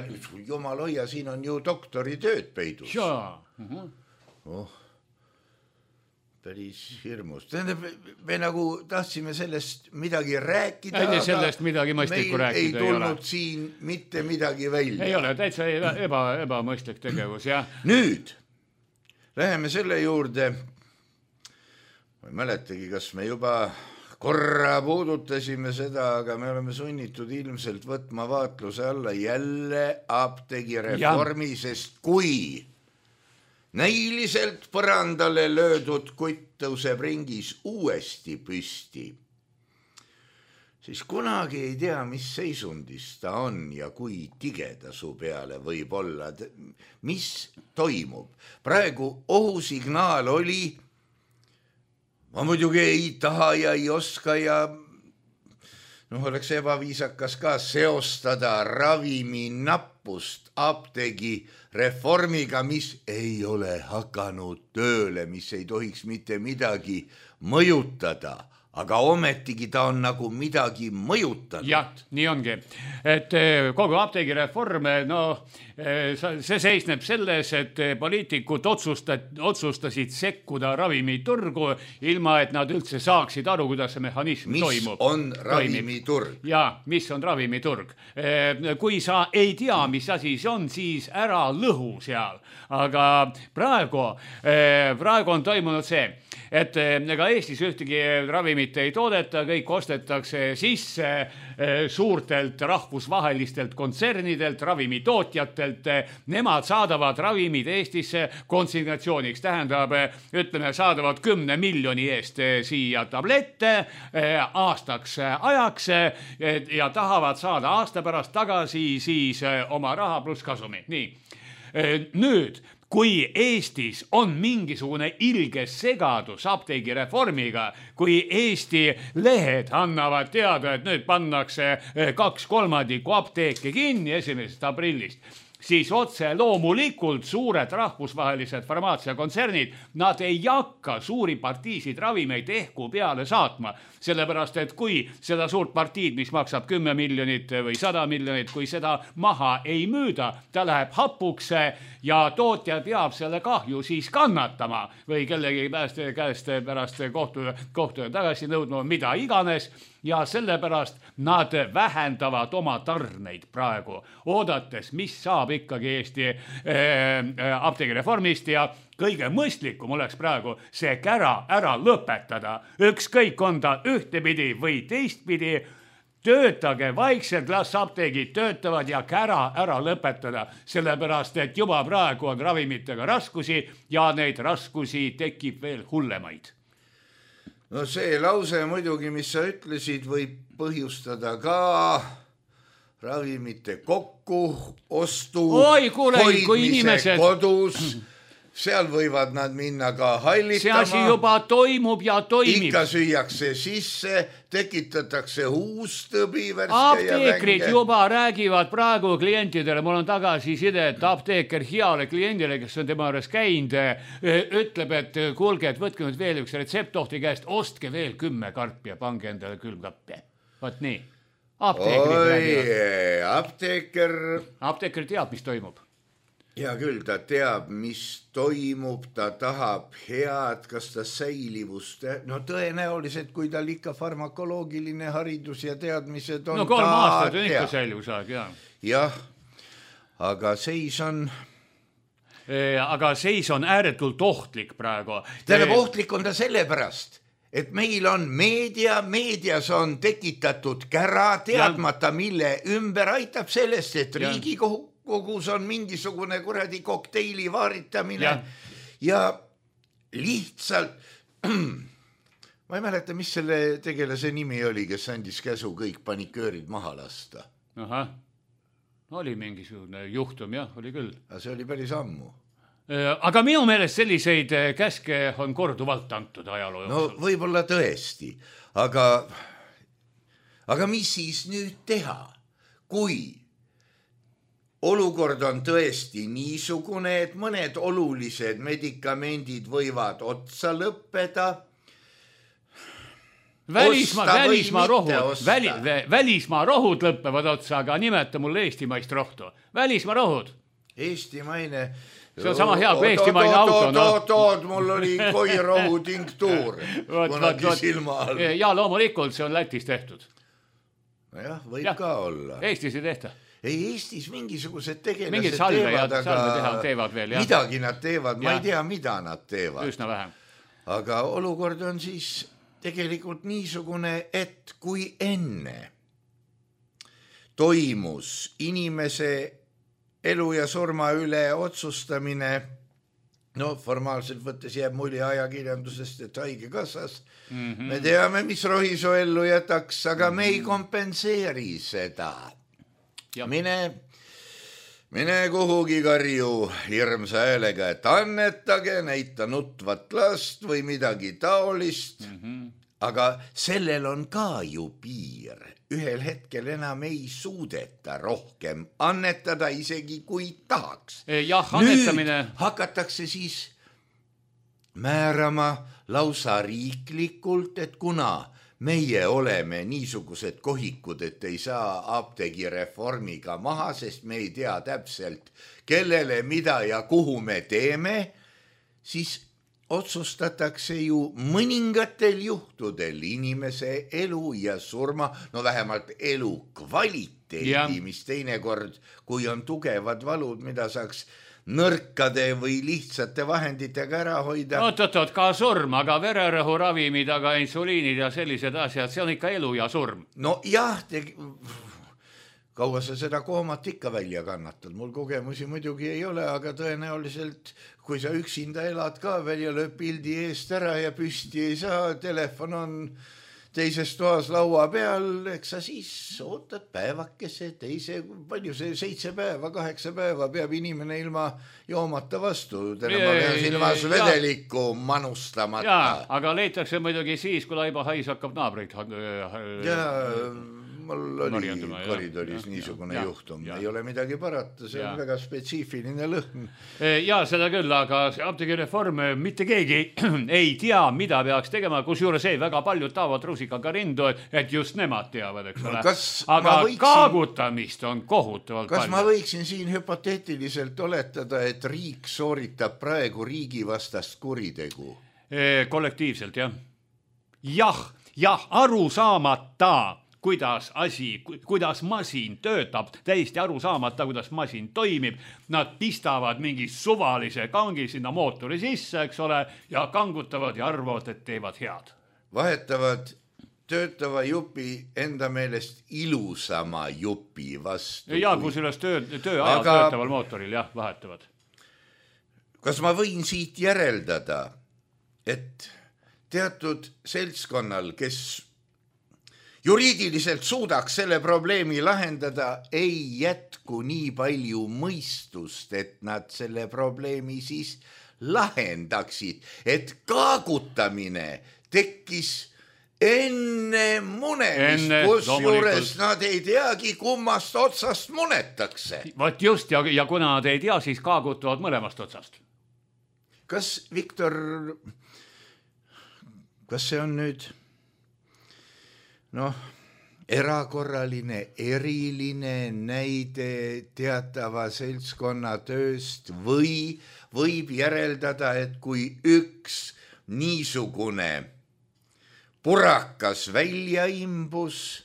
jumal hoia, siin on ju doktoritööd peidus. Päris hirmus. Tähendab, me nagu tahtsime sellest midagi rääkida, aga sellest midagi mõistlikku rääkida ei tulnud siin mitte midagi välja. Ei ole, täitsa ebamõistlik tegevus, jah. Nüüd läheme selle juurde. Ma ei mäletagi, kas me juba korra puudutasime seda, aga me oleme sunnitud ilmselt võtma vaatluse alla jälle apteegireformi, sest kui näiliselt põrandale löödud kutt tõuseb ringis uuesti püsti, siis kunagi ei tea, mis seisundis ta on ja kui tigeda su peale võib olla, mis toimub. Praegu ohusignaal oli, ma muidugi ei taha ja ei oska ja oleks ebaviisakas ka seostada ravimi nappust apteegi reformiga, mis ei ole hakanud tööle, mis ei tohiks mitte midagi mõjutada. Aga ometigi ta on nagu midagi mõjutanud. Jah, nii ongi. Et kogu apteegireform, see seisneb selles, et poliitikud otsustasid sekkuda ravimiturgu, ilma et nad üldse saaksid aru, kuidas see mehhanism toimub. Mis on ravimiturg? Ja, mis on ravimiturg. Kui sa ei tea, mis asi see on, siis ära lõhu seal. Aga praegu on toimunud see, et ega Eestis ühtegi ravimit ei toodeta, kõik ostetakse sisse suurtelt rahvusvahelistelt kontsernidelt, ravimitootjatelt. Nemad saadavad ravimid Eestisse konsignatsiooniks. Tähendab, ütleme, saadavad 10 miljoni eest siia tablette aastaks ajaks ja tahavad saada aasta pärast tagasi siis oma raha pluss kasumi. Nii. Nüüd, kui Eestis on mingisugune ilge segadus apteegireformiga, kui Eesti lehed annavad teada, et nüüd pannakse 2/3 apteeke kinni 1. aprillist, siis otse loomulikult suured rahvusvahelised farmaatsiakontsernid, nad ei hakka suuri partiisid ravimeid ehku peale saatma, sellepärast et kui seda suurt partiid, mis maksab 10 miljonit või 100 miljonit, kui seda maha ei müüda, ta läheb hapuks ja tootja peab selle kahju siis kannatama või kellegi käest pärast kohtu tagasi nõudma, mida iganes. Ja sellepärast nad vähendavad oma tarneid praegu, oodates, mis saab ikkagi Eesti apteegireformist ja kõige mõistlikum oleks praegu see kära ära lõpetada. Ükskõik on ta ühtepidi või teistpidi, töötage vaikselt, las apteegid töötavad ja kära ära lõpetada, sellepärast et juba praegu on ravimitega raskusi ja neid raskusi tekib veel hullemaid. No see lause muidugi, mis sa ütlesid, võib põhjustada ka ravimite kokkuostu, hoidmise kodus. Seal võivad nad minna ka hallitama. See asi juba toimub ja toimib. Ikka süüakse sisse, tekitatakse huustõbi, värske apteekrid juba räägivad praegu klientidele, mul on tagasiside, et apteeker heale kliendile, kes on tema juures käinud, ütleb, et kuulge, et võtke nüüd veel üks retseptohti käest, ostke veel 10 karpi ja pange endale külmkappe. Võt nii. Apteeker teab, mis toimub. Ja küll ta teab, mis toimub, ta tahab head, kas ta säilivust, no tõenäoliselt, kui tal ikka farmakoloogiline haridus ja teadmised on. No 3 aastat on ikka säilivusaeg, jah. Jah, aga seis on ääretult ohtlik praegu. Tähendab, ohtlik on ta sellepärast, et meil on meedias on tekitatud kära teadmata, mille ümber aitab sellest, et Riigikogus on mingisugune kuradi kokteili vaaritamine ja lihtsalt ma ei mäleta, mis selle tegelase nimi oli, kes andis käsu kõik paniköörid maha lasta. Aha, oli mingisugune juhtum, jah, oli küll. See oli päris ammu. Aga minu meelest selliseid käske on korduvalt antud ajaloo jooksul. No võib-olla tõesti, aga mis siis nüüd teha, kui olukord on tõesti niisugune, et mõned olulised medikamendid võivad otsa lõppeda. Välismaa rohud lõppevad otsa, aga nimeta mulle eestimaist rohtu. Välismaa rohud. Eestimaine. See on sama hea kui eestimaine auto. Oot, mul oli koirohu tinktuur. Ja loomulikult see on Lätis tehtud. Nojah, võib ka olla. Eestis ei tehta. Ei, Eestis mingisugused tegelased mingid teevad veel, jah. Midagi nad teevad, ma ei tea, mida nad teevad. Üsna vähem. Aga olukord on siis tegelikult niisugune, et kui enne toimus inimese elu ja surma üle otsustamine, no formaalselt võttes jääb mulje ajakirjandusest, et haigekassas, me teame, mis Rohisoo ellu jätaks, aga me ei kompenseeri seda. Mine kuhugi karju hirmsa häälega, et annetage, näita nutvat last või midagi taolist. Aga sellel on ka ju piir. Ühel hetkel enam ei suudeta rohkem annetada, isegi kui tahaks. Nüüd hakatakse siis määrama lausa riiklikult, et kuna meie oleme niisugused kohikud, et ei saa apteegireformiga maha, sest me ei tea täpselt, kellele, mida ja kuhu me teeme, siis otsustatakse ju mõningatel juhtudel inimese elu ja surma, no vähemalt elu kvaliteedi, mis teinekord, kui on tugevad valud, mida saaks nõrkade või lihtsate vahenditega ära hoida. Oot, ka surm, aga vererõhu ravimid, aga insuliinid ja sellised asjad, see on ikka elu ja surm. No jah, kaua sa seda koomat ikka välja kannatad? Mul kogemusi muidugi ei ole, aga tõenäoliselt, kui sa üksinda elad ka veel ja lööb pildi eest ära ja püsti ei saa, telefon on teises toas laua peal, eks sa siis ootad päevakese, palju see 7 päeva, 8 päeva peab inimene ilma joomata vastu. Ma pean silmas vedelikku manustamata. Aga leitakse muidugi siis, kui laiba hais hakkab naabreid. mul oli koridoris niisugune juhtum. Ei ole midagi parata, see on väga spetsiifiline lõhn. Ja seda küll, aga see apteegireform mitte keegi ei tea, mida peaks tegema, kus juures väga paljud taavad rusikaga rindu, et just nemad teavad, eks ole. Aga kaagutamist on kohutavalt palju. Kas ma võiksin siin hüpoteetiliselt oletada, et riik sooritab praegu riigi vastast kuritegu? Kollektiivselt, jah. Jah, aru saamata, kuidas masin töötab, täiesti aru saamata, kuidas masin toimib. Nad pistavad mingi suvalise kangi sinna mootori sisse, eks ole, ja kangutavad ja arvavad, et teevad head. Vahetavad töötava jupi enda meelest ilusama jupi vastu. Ja kus üles tööajal töötaval mootoril, vahetavad. Kas ma võin siit järeldada, et teatud seltskonnal, kes juriidiliselt suudaks selle probleemi lahendada, ei jätku nii palju mõistust, et nad selle probleemi siis lahendaksid, et kaagutamine tekkis enne munemist, kus juures nad ei teagi, kummast otsast munetakse. Vaat just, ja kuna nad ei tea, siis kaagutavad mõlemast otsast. Kas, Viktor, kas see on nüüd erakorraline, eriline näide teatava seltskonna tööst või võib järeldada, et kui üks niisugune purakas välja imbus,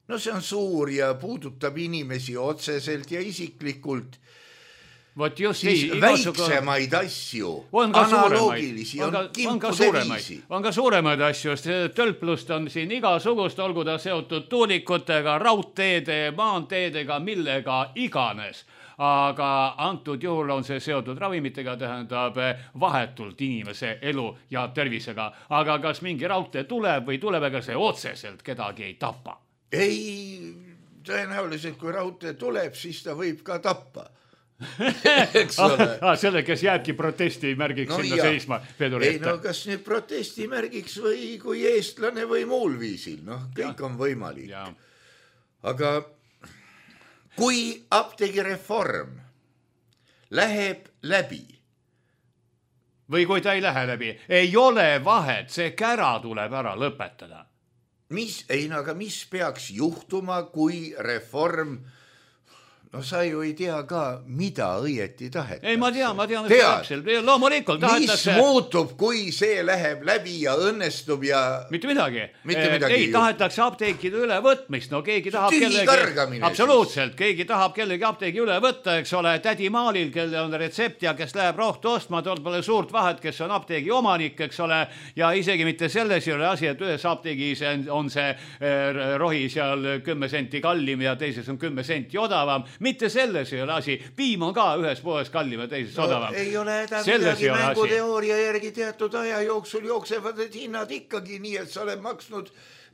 see on suur ja puudutab inimesi otseselt ja isiklikult, siis väiksemaid asju, analoogilisi, on kimpude viisi. On ka suuremaid asju, sest tölplust on siin igasugust, olgu ta seotud tuulikutega, raudteede, maanteedega, millega iganes. Aga antud juhul on see seotud ravimitega, tähendab vahetult inimese elu ja tervisega. Aga kas mingi raudtee tuleb või tuleb, ega see otseselt kedagi ei tapa? Ei, tõenäoliselt kui raudtee tuleb, siis ta võib ka tappa. Selle, kes jääbki protesti märgiks sinna seisma veduri ette. Kas nüüd protesti märgiks või kui eestlane või muul viisil, kõik on võimalik. Aga kui apteegireform läheb läbi või kui ta ei lähe läbi, ei ole vahet, see kära tuleb ära lõpetada. Aga mis peaks juhtuma, kui reform sa ju ei tea ka, mida õieti tahetakse. Ei, ma tean, täpselt. Loomulikult tahetakse. Mis muutub, kui see läheb läbi ja õnnestub ja... Mitte midagi. Ei, tahetakse apteekide ülevõtmist. Keegi tahab absoluutselt, keegi tahab kellegi apteegi üle võtta, eks ole, tädi Maalil, kelle on retsept ja kes läheb rohtu ostma, tol pole suurt vahet, kes on apteegi omanik, eks ole, ja isegi mitte selles ei ole asi, et ühes apteegis on see rohi seal 10 senti kallim ja teises on 10 senti odavam. Mitte selles ei ole asi. Piim on ka ühes poes kallim ja teises odavam. Ei ole midagi mänguteooria järgi teatud aja jooksul jooksevad need hinnad ikkagi nii, et sa oled maksnud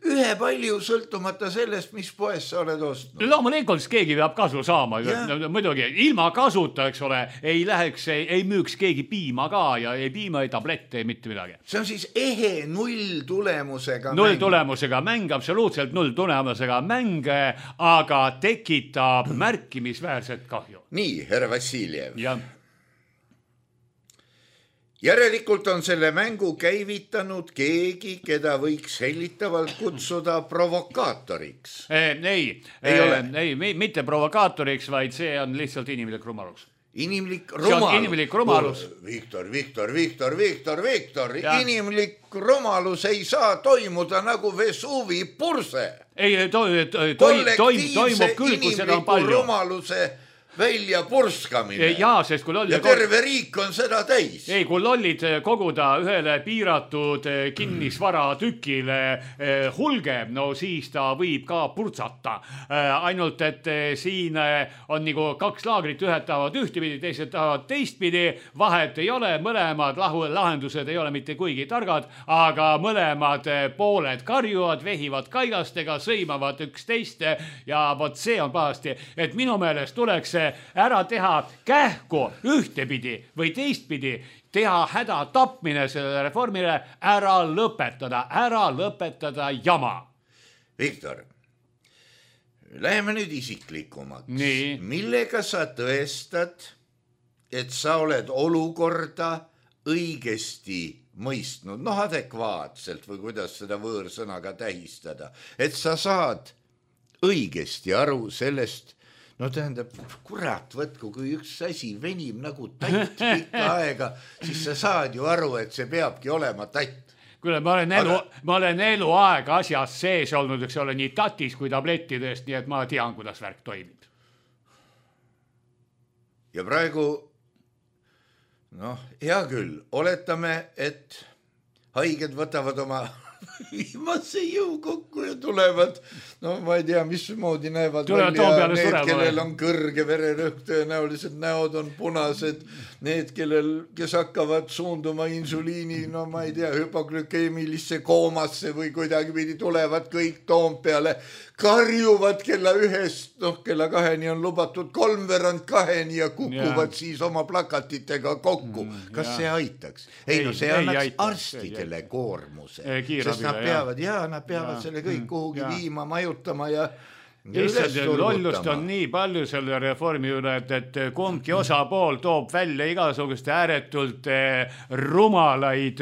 ühe palju sõltumata sellest, mis poes sa oled ostnud. Loomulikult keegi peab kasu saama. Muidugi, ilma kasuta, eks ole, ei müüks keegi piima ka ja ei piima, ei tablette, ei mitte midagi. See on siis ehe nulltulemusega mäng. Nulltulemusega mäng, absoluutselt nulltulemusega mäng, aga tekitab märkimisväärset kahju. Nii, härra Vassiljev. Jah. Järelikult on selle mängu käivitanud keegi, keda võiks hellitavalt kutsuda provokaatoriks. Ei, mitte provokaatoriks, vaid see on lihtsalt inimlik rumalus. Inimlik rumalus. Viktor. Inimlik rumalus ei saa toimuda nagu Vesuvi purse. Ei, toimub küll, kui seda on palju. Rumaluse välja purskamine. Sest kui ja terve riik on seda täis. Ei, kui lollid koguda ühele piiratud kinnisvara tükile hulge, siis ta võib ka purtsata. Ainult, et siin on nagu kaks laagrit, ühed tahavad ühtepidi, teised tahavad teistpidi. Vahet ei ole, mõlemad lahendused ei ole mitte kuigi targad, aga mõlemad pooled karjuvad, vehivad kaigastega, sõimavad üksteist ja vot see on pahasti, et minu meelest tuleks ära teha kähku ühtepidi või teistpidi, teha häda tapmine selle reformile, ära lõpetada jama. Viktor, läheme nüüd isiklikumaks. Nii. Millega sa tõestad, et sa oled olukorda õigesti mõistnud, noh adekvaatselt või kuidas seda võõrsõnaga tähistada, et sa saad õigesti aru sellest, no tähendab, kurat võtku, kui üks asi venib nagu tatt pikka aega, siis sa saad ju aru, et see peabki olema tatt. Kuule, ma olen eluaeg asjas sees olnud, eks ole, nii tatis kui tablettidest, nii et ma tean, kuidas värk toimib. Ja praegu, noh, hea küll, oletame, et haiged võtavad oma viimase jõu kokku ja tulevad, no ma ei tea, mismoodi näevad välja need, kellel on kõrge vererõhk, tõenäoliselt näod on punased, need, kes hakkavad suunduma insuliini, no ma ei tea, hüpoglükeemilisse koomasse või kuidagi pidi tulevad kõik Toompeale, karjuvad kella 1, noh kella 2 on lubatud 3:45 ja kukuvad siis oma plakatitega kokku. Kas see aitaks? Ei, no see annaks arstidele koormuse, sest nad peavad selle kõik kuhugi viima, majutama ja lollust on nii palju selle reformi üle, et kumbki osapool toob välja igasuguste ääretult rumalaid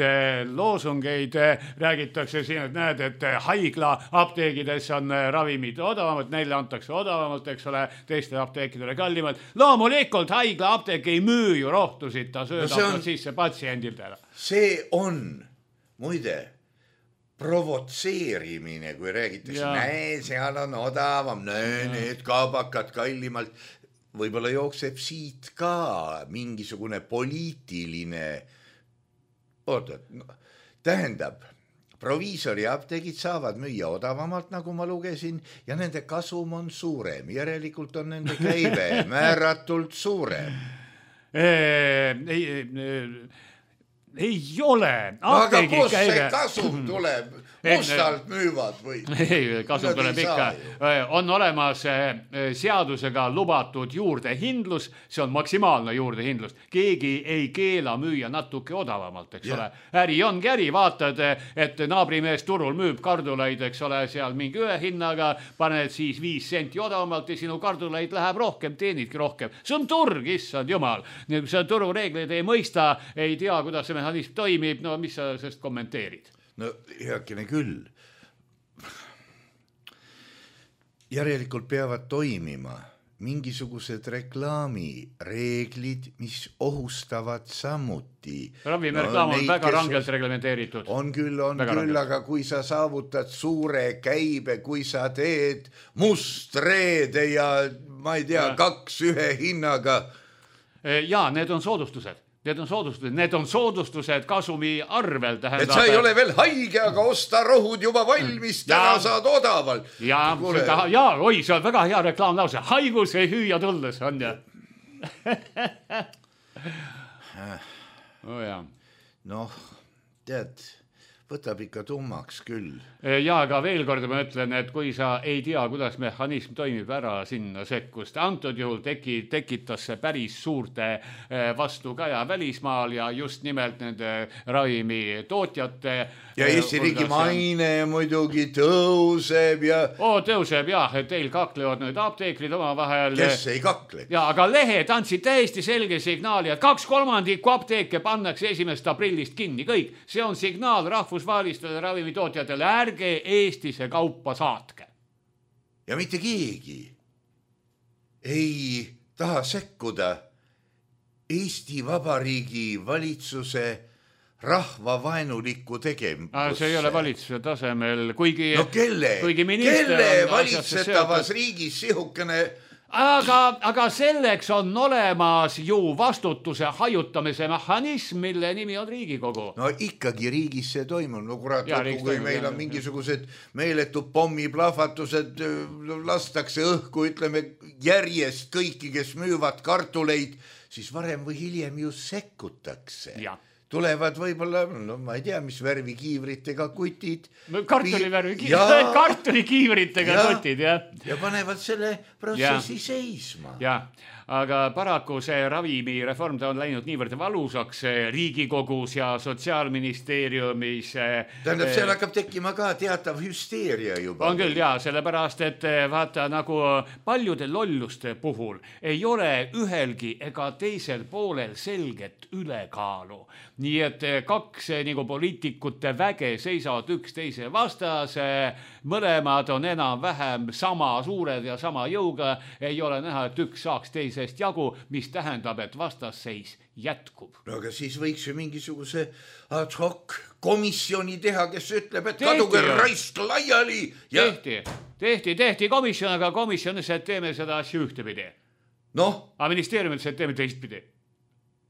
loosungeid. Räägitakse siin, et näed, et haigla apteegides on ravimid odavamad, neile antakse odavamalt, eks ole, teiste apteekidele kallimalt. Loomulikult haigla apteek ei müü ju rohtusid, ta söödab sisse patsiendilt ära. See on, muide, provotseerimine, kui räägitakse, näe, seal on odavam, need kaabakad kallimalt. Võib-olla jookseb siit ka mingisugune poliitiline, tähendab, proviisori apteegid saavad müüa odavamalt, nagu ma lugesin, ja nende kasum on suurem, järelikult on nende käive määratult suurem. Ei ole. Aga kus see kasum tuleb? Mustalt müüvad või? Ei, kasum tuleb ikka. On olemas seadusega lubatud juurdehindlus, see on maksimaalne juurdehindlus. Keegi ei keela müüa natuke odavamalt, eks ole. Äri ongi äri, vaatad, et naabrimees turul müüb kardulaid, eks ole, seal mingi ühe hinnaga, paned siis 5 senti odavamalt ja sinu kardulaid läheb rohkem, teenidki rohkem. See on turg, issand jumal. Nii, kui sa turureegleid ei mõista, ei tea, kuidas see mehhanism toimib, no mis sa sellest kommenteerid? No heakene küll. Järelikult peavad toimima mingisugused reklaamireeglid, mis ohustavad samuti. Ravimireklaam on väga rangelt reglementeeritud. On küll, aga kui sa saavutad suure käibe, kui sa teed mustreede ja ma ei tea, 2 ühe hinnaga. Ja, need on soodustused. Need on soodustused kasumi arvel. Et sa ei ole veel haige, aga osta rohud juba valmis, täna saad odavalt. Oi, see on väga hea reklaamlause. Haigus ei hüüa tulles, on ja. Noh, tead, võtab ikka tummaks küll. Ja, aga veel kord ma ütlen, et kui sa ei tea, kuidas mehhanism toimib, ära sinna sekkust. Antud juhul tekitas see päris suurte vastukaja välismaal ja just nimelt nende ravimi tootjate. Ja Eesti riigi maine muidugi tõuseb ja... Tõuseb jah, et teil kaklevad nüüd apteekrid oma vahel. Kes ei kakle? Ja, aga lehed andsid täiesti selge signaali, et 2/3 apteeke pannakse 1. aprillist kinni. Kõik. See on signaal rahvusvahelistele ravimitootjatele. Ärge Eestisse kaupa saatke. Ja mitte keegi ei taha sekkuda Eesti Vabariigi valitsuse rahvavaenulikku tegevusse. See ei ole valitsuse tasemel, kuigi... No kelle valitsetavas riigis sihukene... Aga selleks on olemas ju vastutuse hajutamise mehhanism, mille nimi on Riigikogu. No ikkagi riigis see toimub. No kurat, kui meil on mingisugused meeletud pommiplahvatused, lastakse õhku, ütleme järjest kõiki, kes müüvad kartuleid, siis varem või hiljem ju sekkutakse. Tulevad võib-olla, no ma ei tea, mis värvi kiivritega kutid. Kartulikiivritega kutid, jah. Ja panevad selle protsessi seisma. Ja, aga paraku see ravimireform ta on läinud niivõrd valusaks Riigikogus ja Sotsiaalministeeriumis. Tähendab, seal hakkab tekkima ka teatav hüsteeria juba. On küll jaa, sellepärast, et vaata nagu paljude lolluste puhul ei ole ühelgi ega teisel poolel selget ülekaalu. Nii et kaks nagu poliitikute väge seisavad üksteise vastas, mõlemad on enam-vähem sama suured ja sama jõuga, ei ole näha, et üks saaks teisest jagu, mis tähendab, et vastasseis jätkub. No aga siis võiks ju mingisuguse ad hoc komisjoni teha, kes ütleb, et kaduge raisk laiali. Ja... Tehti komisjon, aga komisjonis, et teeme seda asja ühtepidi. Aga ministeeriumis, et teeme teistpidi.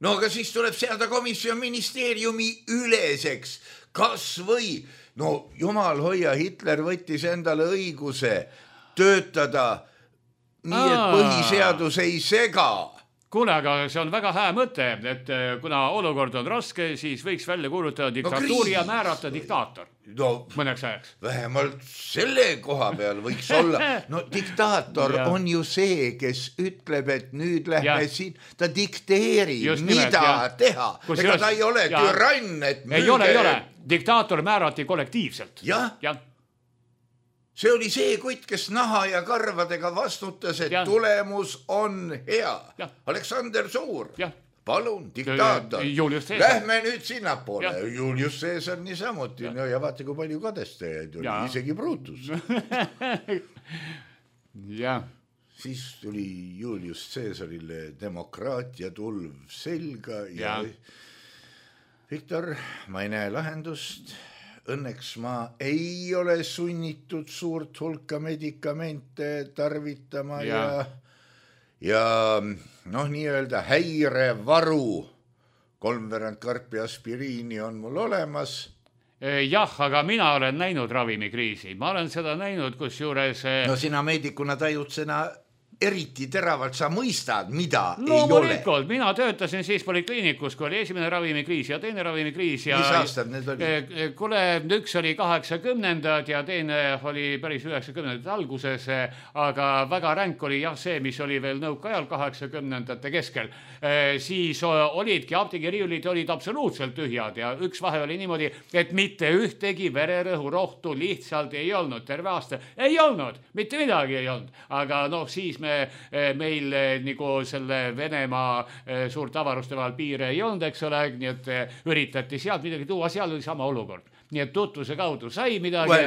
No aga siis tuleb seada komisjon ministeeriumi üleseks. Kas või, no jumal hoia, Hitler võttis endale õiguse töötada nii, et põhiseadus ei sega. Kuule, aga see on väga hää mõte, et kuna olukord on raske, siis võiks välja kuulutada diktatuuri ja määrata diktaator. Mõneks ajaks. Vähemalt selle koha peal võiks olla. No diktaator on ju see, kes ütleb, et nüüd lähme siin, ta dikteerib, mida teha. Ega ta ei ole türann, et ei ole. Diktaator määrati kollektiivselt. Jah. See oli see kutt, kes naha ja karvadega vastutas, et tulemus on hea. Aleksander Suur. Palun, diktaator. Lähme nüüd sinnapoole. Julius Caesar niisamuti. No ja vaata, kui palju kadestajaid oli. Isegi Brutus. Siis tuli Julius Caesarile demokraatia tulv selga ja Viktor, ma ei näe lahendust. Õnneks ma ei ole sunnitud suurt hulka medikamente tarvitama ja nii-öelda häirevaru 3/4 karpi aspiriini on mul olemas. Jah, aga mina olen näinud ravimikriisi. Ma olen seda näinud, kus juures... No sina meedikuna tajutsena eriti teravalt sa mõistad, mida ei ole. Mina töötasin siis polikliinikus, kui oli esimene ravimikriis ja teine ravimikriis. Mis aastad need oli? Kuule, üks oli 80-ndad ja teine oli päris 90-ndate alguses, aga väga ränk oli see, mis oli veel nõukaajal 80-ndate keskel. Siis olidki apteegiriiulid olid absoluutselt tühjad ja üks vahe oli niimoodi, et mitte ühtegi vererõhurohtu lihtsalt ei olnud terve aasta. Ei olnud, mitte midagi ei olnud. Aga siis meil nagu selle Venemaa suurt avaruste vahel piire ei olnud, eks ole, nii et üritati sealt midagi tuua, seal oli sama olukord. Nii et tutvuse kaudu sai midagi.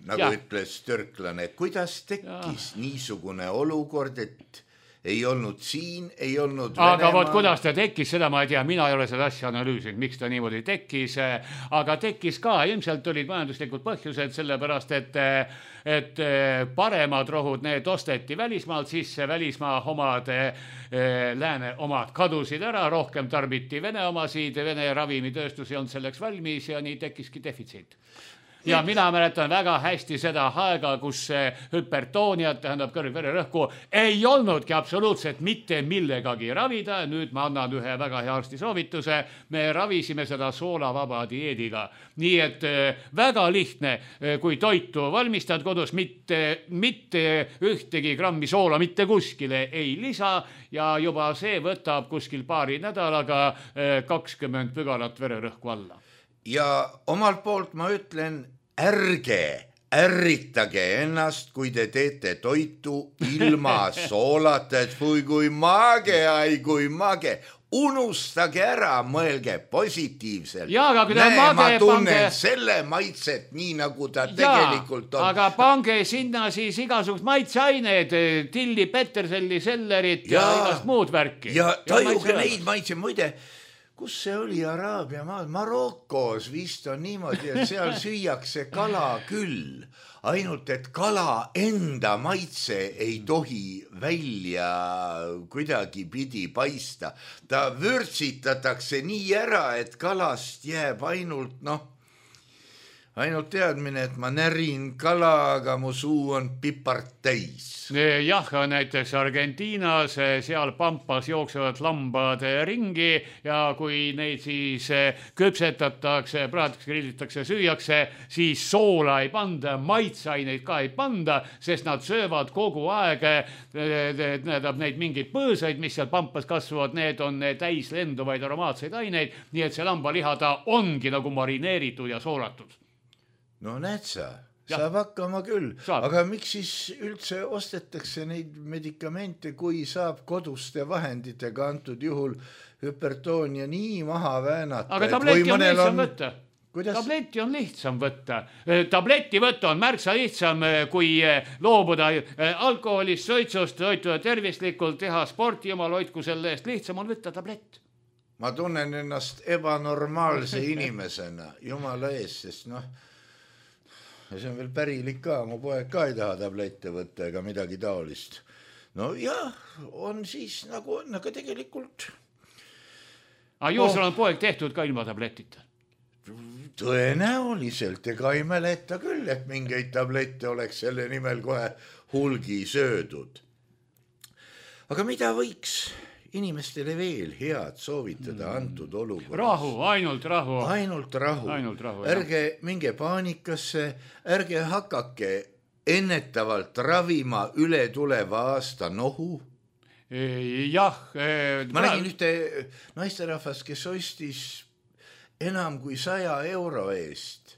Nagu ütles türklane, kuidas tekkis niisugune olukord, et ei olnud siin, ei olnud Venemaa. Aga võt, kuidas ta tekkis, seda ma ei tea, mina ei ole seda asja analüüsinud, miks ta niimoodi tekkis, aga tekkis ka, ilmselt olid majanduslikud põhjused, sellepärast, et paremad rohud, need osteti välismaalt sisse, välismaa omad, lääne omad kadusid ära, rohkem tarbiti Vene omasid, Vene ravimitööstus ei olnud selleks valmis ja nii tekkiski defitsiit. Ja mina mäletan väga hästi seda aega, kus hüpertooniat, tähendab kõrgvererõhku, ei olnudki absoluutselt mitte millegagi ravida. Nüüd ma annan ühe väga hea arsti soovituse. Me ravisime seda soolavaba dieediga. Nii et väga lihtne, kui toitu valmistad kodus, mitte ühtegi grammi soola mitte kuskile ei lisa ja juba see võtab kuskil paari nädalaga 20 pügalat vererõhku alla. Ja omalt poolt ma ütlen, ärritage ennast, kui te teete toitu ilma soolata, et kui mage, kui mage. Unustage ära, mõelge positiivselt. Ma tunnen selle maitset nii, nagu ta tegelikult on. Aga pange sinna siis igasugust maitseaineid, tilli, peterselli, sellerit ja igast muud värki. Ja tajuge neid maitse, muide, kus see oli Araabia maal? Marokos vist on niimoodi, et seal süüakse kala küll. Ainult, et kala enda maitse ei tohi välja kuidagi pidi paista. Ta vürtsitatakse nii ära, et kalast jääb ainult, ainult teadmine, et ma närin kala, aga mu suu on pipart täis. Jah, näiteks Argentiinas, seal pampas jooksevad lambad ringi ja kui neid siis küpsetatakse, praetakse, grillitakse, süüakse, siis soola ei panda, maitsaineid ka ei panda, sest nad söövad kogu aeg neid mingeid põõsaid, mis seal pampas kasvavad, need on täis lenduvaid aromaatseid aineid, nii et see lambaliha ta ongi nagu marineeritud ja soolatud. No näed sa, saab hakkama küll, aga miks siis üldse ostetakse neid medikamente, kui saab koduste vahenditega antud juhul hüpertoonia nii maha väänata? Aga tableti on lihtsam võtta. Tableti on lihtsam võtta. Tableti võtta on märksa lihtsam, kui loobuda alkoholist, suitsust, toituda tervislikult, teha sporti, jumal hoidku selle eest, lihtsam on võtta tablett. Ma tunnen ennast ebanormaalse inimesena, jumala ees, sest ja see on veel pärilik ka, mu poeg ka ei taha tablette võtta ega midagi taolist. No jah, on siis nagu on, aga tegelikult... Sul on poeg tehtud ka ilma tabletita? Tõenäoliselt, ega ei mäleta küll, et mingeid tablette oleks selle nimel kohe hulgi söödud. Aga mida võiks inimestele veel head soovitada antud olukorras? Rahu, ainult rahu. Ainult rahu. Ärge minge paanikasse, ärge hakake ennetavalt ravima üle tuleva aasta nohu. Jah. Ma nägin ühte naisterahvast, kes ostis enam kui 100 euro eest.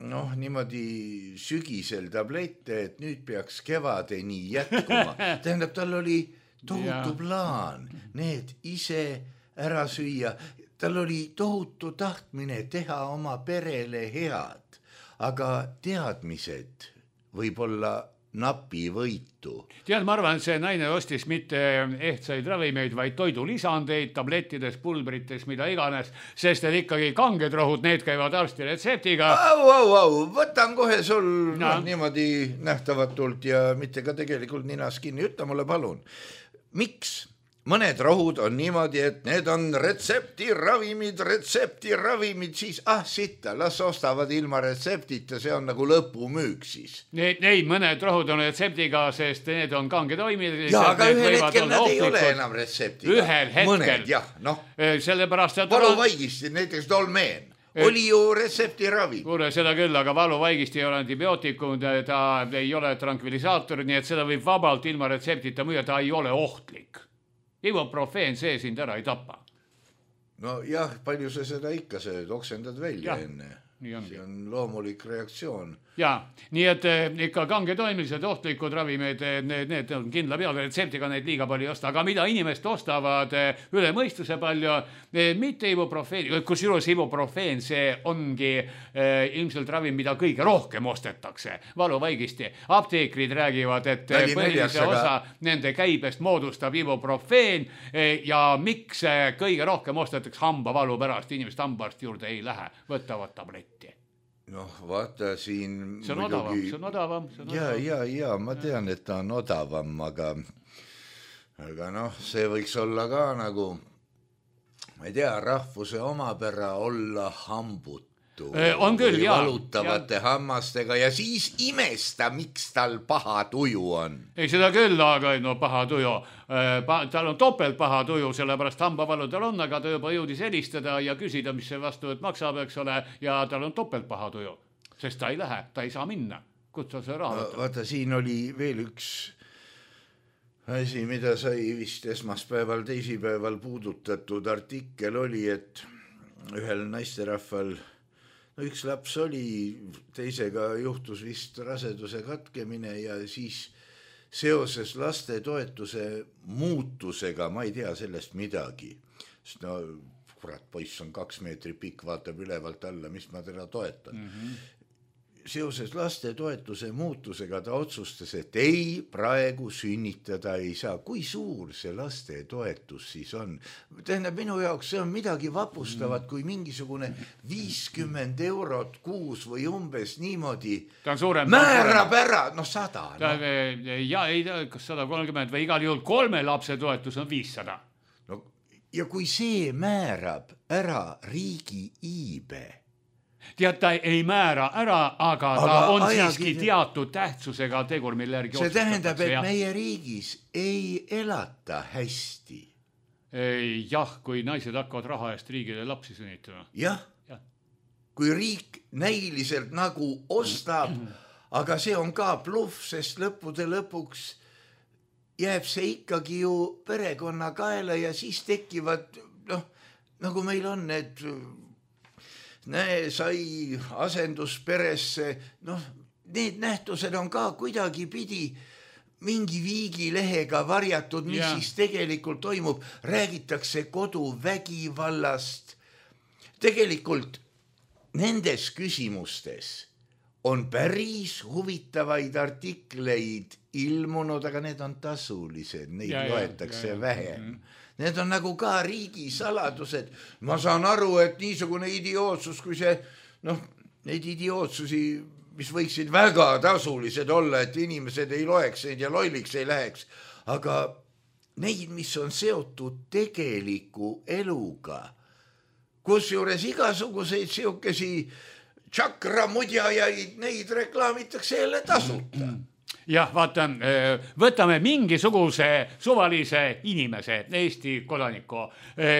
Niimoodi sügisel tablette, et nüüd peaks kevadeni jätkuma. Tähendab, tal oli tohutu plaan need ise ära süüa. Tal oli tohutu tahtmine teha oma perele head, aga teadmised võib-olla napi võitu. Tead, ma arvan, see naine ostis mitte ehtsaid ravimeid, vaid toidulisandeid, tablettides, pulbrites, mida iganes, sest et ikkagi kanged rohud, need käivad arsti retseptiga. Võtan kohe sul niimoodi nähtavatult ja mitte ka tegelikult ninas kinni. Ütle mulle palun, miks mõned rohud on niimoodi, et need on retseptiravimid, siis sitta, las ostavad ilma retseptita, see on nagu lõpumüük siis. Neid mõned rohud on retseptiga, sest need on kange toimid. Ja, aga ühel hetkel nad ei ole enam retseptiga. Ühel hetkel. Mõned, jah, Sellepärast, et valuvaigisti, näiteks dolmeen. Oli ju retseptiravi. Kuule, seda küll, aga valuvaigisti ei ole antibiootikum, ta ei ole tranquillisaator, nii et seda võib vabalt ilma retseptita müüa, ta ei ole ohtlik. Ibuprofeen see sind ära ei tapa. No jah, palju sa seda ikka sööd, oksendad välja enne. See on loomulik reaktsioon. Jaa, nii et ikka kange toimilised ohtlikud ravimeid, need on kindla peale, retseptiga neid liiga palju ei osta, aga mida inimest ostavad üle mõistuse palju, mitte ibuprofeen, kusjuures ibuprofeen, see ongi ilmselt ravim, mida kõige rohkem ostetakse, valuvaigisti. Apteekrid räägivad, et põhilise osa nende käibest moodustab ibuprofeen ja miks kõige rohkem ostetakse hambavalu pärast, inimest hambaarsti juurde ei lähe, võtavad tabletti. Vaata siin see on odavam. Ja, ma tean, et ta on odavam, aga see võiks olla ka nagu, ma ei tea, rahvuse omapära olla hambutu. On küll, jaa. Valutavate hammastega ja siis imesta, miks tal paha tuju on. Ei seda küll, aga paha tuju. Tal on topelt paha tuju, sellepärast hambavalu tal on, aga ta juba jõudis helistada ja küsida, mis see vastuvõtt maksab, eks ole, ja tal on topelt paha tuju, sest ta ei lähe, ta ei saa minna. Kutsa see raha võtta. Vaata, siin oli veel üks asi, mida sai vist esmaspäeval, teisipäeval puudutatud artikkel oli, et ühel naisterahval üks laps oli, teisega juhtus vist raseduse katkemine ja siis seoses lastetoetuse muutusega, ma ei tea sellest midagi. Sest kurat, poiss on 2 meetrit pikk, vaatab ülevalt alla, mis ma teda toetan. Seoses lastetoetuse muutusega ta otsustas, et ei, praegu sünnitada ei saa. Kui suur see lastetoetus siis on? Tähendab, minu jaoks see on midagi vapustavat, kui mingisugune 50 eurot kuus või umbes niimoodi määrab ära, 100. Ja ei tea, kas 130 või igal juhul 3 lapse toetus on 500. Ja kui see määrab ära riigi iibe, tead, ta ei määra ära, aga ta on siiski teatud tähtsusega tegur, mille järgi see tähendab, et meie riigis ei elata hästi. Jah, kui naised hakkavad raha eest riigile lapsi sünnitama. Jah, kui riik näiliselt nagu ostab, aga see on ka bluff, sest lõppude lõpuks jääb see ikkagi ju perekonna kaela ja siis tekivad, nagu meil on need, sai asendusperesse, need nähtused on ka kuidagi pidi mingi viigilehega varjatud, mis siis tegelikult toimub, räägitakse koduvägivallast. Tegelikult nendes küsimustes on päris huvitavaid artikleid ilmunud, aga need on tasulised, neid loetakse vähem. Need on nagu ka riigisaladused. Ma saan aru, et niisugune idiootsus, kui see, neid idiootsusi, mis võiksid väga tasulised olla, et inimesed ei loeks neid ja lolliks ei läheks, aga neid, mis on seotud tegeliku eluga, kus juures igasuguseid siukesi tšakramudjajaid, neid reklaamitakse jälle tasuta. Jah, vaata, võtame mingisuguse suvalise inimese, Eesti kodaniku,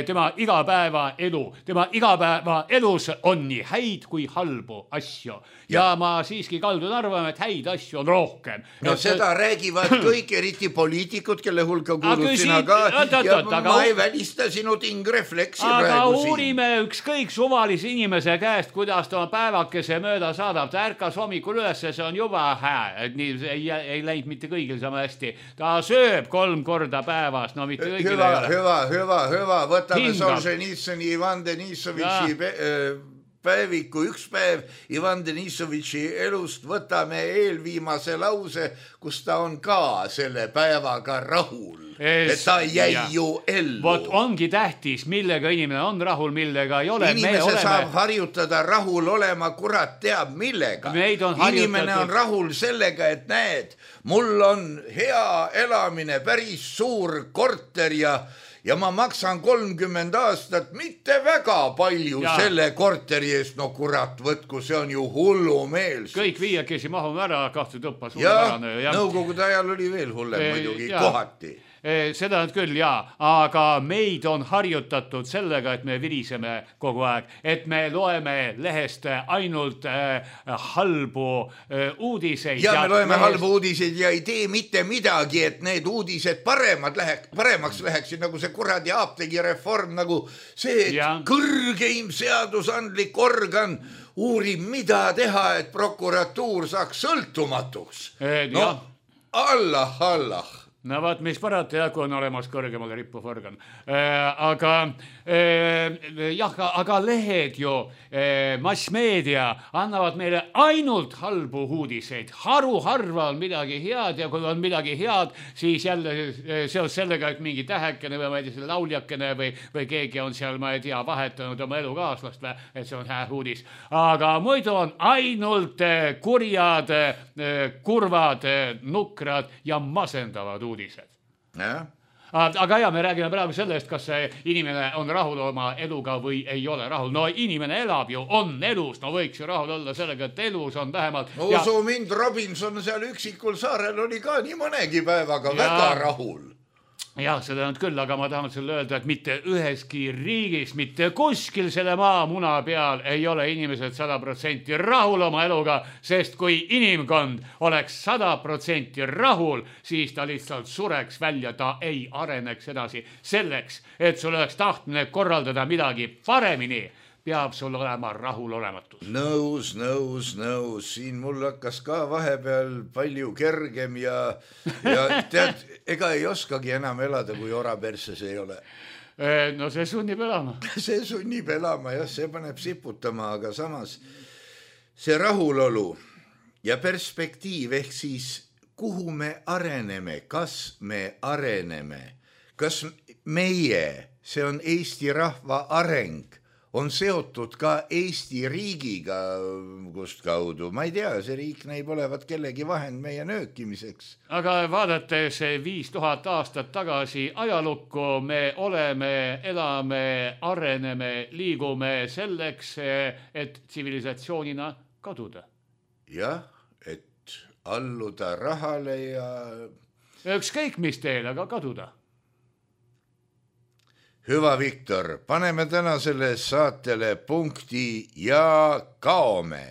tema igapäevaelu. Tema igapäevaelus on nii häid kui halbu asju. Ja ma siiski kaldun arvama, et häid asju on rohkem. No seda räägivad kõik, eriti poliitikud, kelle hulka kuulud sina ka. Ja ma ei välista sinu tingrefleksi praegu siin. Aga uurime ükskõik suvalise inimese käest, kuidas ta päevakese mööda saadab. Ta ärkas hommikul üles, see on juba hää. Ei läinud mitte kõigil sama hästi. Ta sööb 3 korda päevas. No mitte kõigil ei ole. Hüva. Võtame Solženitsõni, Ivan Denissovitši päeviku, üks päev Ivan Denissovitši elust, võtame eelviimase lause, kus ta on ka selle päevaga rahul. Et ta jäi ju ellu. Vot ongi tähtis, millega inimene on rahul, millega ei ole. Inimese saab harjutada rahul olema, kurat teab millega. Inimene on rahul sellega, et näed, mul on hea elamine, päris suur korter ja ma maksan 30 aastat, mitte väga palju selle korteri eest. No kurat, võtku, see on ju hullumeels. Kõik viiakesi mahume ära, 2 tõppa. Nõukogude ajal oli veel hullem muidugi kohati. Seda nüüd küll, aga meid on harjutatud sellega, et me viriseme kogu aeg, et me loeme lehest ainult halbu uudiseid. Ja me loeme halbu uudiseid ja ei tee mitte midagi, et need uudised paremaks läheksid, nagu see kuradi apteegireform, nagu see kõrgeim seadusandlik organ uurib, mida teha, et prokuratuur saaks sõltumatuks. Allah. No vaat, mis parata, kui on olemas kõrgemale rippuv organ. Aga lehed ju, massmeedia annavad meile ainult halbu uudiseid. Harva on midagi head ja kui on midagi head, siis jälle seos sellega, et mingi tähekene või ma ei tea, lauljakene või keegi on seal, ma ei tea, vahetanud oma elukaaslast, et see on hää uudis. Aga muidu on ainult kurjad, kurvad, nukrad ja masendavad uudised. Aga me räägime praegu sellest, kas see inimene on rahul oma eluga või ei ole rahul. No inimene elab ju, on elus, no võiks ju rahul olla sellega, et elus on vähemalt. Usu mind, Robinson seal üksikul saarel oli ka nii mõnegi päevaga väga rahul. Jah, seda on küll, aga ma tahan sulle öelda, et mitte üheski riigis, mitte kuskil selle maamuna peal ei ole inimesed 100% rahul oma eluga, sest kui inimkond oleks 100% rahul, siis ta lihtsalt sureks välja, ta ei areneks edasi. Selleks, et sul oleks tahtmine korraldada midagi paremini, peab sul olema rahulolematus. Nõus. Siin mul hakkas ka vahepeal palju kergem ja tead, ega ei oskagi enam elada, kui oraperses ei ole. No see sunnib elama. See sunnib elama, jah, see paneb siputama, aga samas see rahulolu ja perspektiiv ehk siis kuhu me areneme, kas me areneme, kas meie, see on Eesti rahva areng, on seotud ka Eesti riigiga, kust kaudu. Ma ei tea, see riik näib olevat kellegi vahend meie nöökimiseks. Aga vaadates 5000 aastat tagasi ajalukku, me oleme, elame, areneme, liigume selleks, et tsivilisatsioonina kaduda. Jah, et alluda rahale ja... Ükskõik mis teel, aga kaduda. Hüva, Viktor, paneme tänasele saatele punkti ja kaome.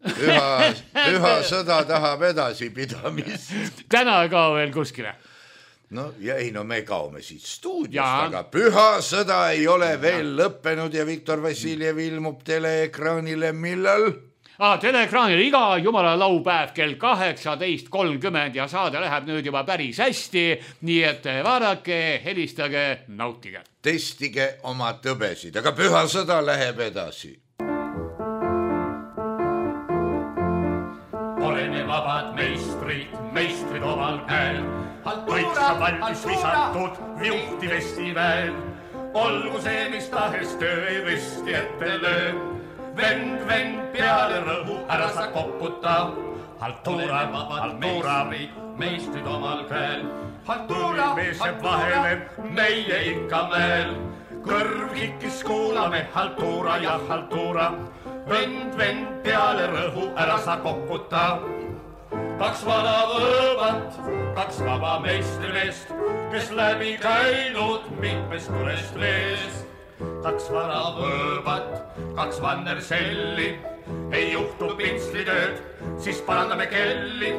Püha sõda tahab edasipidamist. Täna ka veel kuskile. No me kaome siit stuudiost, aga püha sõda ei ole veel lõppenud ja Viktor Vassiljev ilmub teleekraanile millal? Teleekraanil iga jumala laupäev kell 18.30 ja saade läheb nüüd juba päris hästi, nii et vaadake, helistage, nautige. Testige oma tõbesid, aga püha sõda läheb edasi. Oleme vabad meistrid omal käel, võitsa valmis visatud viuhti vestiväel. Olgu see, mis tahes töö ei risti ette löö. Vend peale rõhu, ära sa koputa. Haltuura, meistrid omal käel. Haltuuri meeseb vahele, meie ikka mäel. Kõrv hikkis kuulame, haltuura ja haltuura. Vend peale rõhu, ära sa koputa. Kaks vana võõbat, kaks vaba meistrimeest, kes läbi käinud mitmest tulest veest. Kaks vana võõbat, kaks vannerselli, ei juhtu pintslitööd, siis parandame kelli.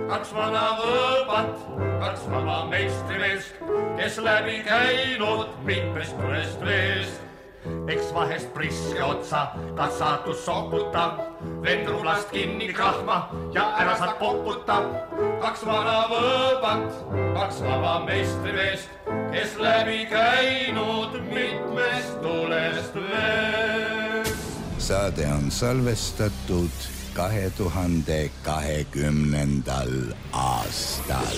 Kaks vana võõbat, kaks vaba meistrimeest, kes läbi käinud mitmest tulest veest. Eks vahest priske otsa, kas saatus sokuta, vend rulast kinni krahma ja ära saad poputa. Kaks vana võõbat, kaks vaba meistrimeest, kes läbi käinud mitmest tulest veest. Saade on salvestatud 2020. aastal.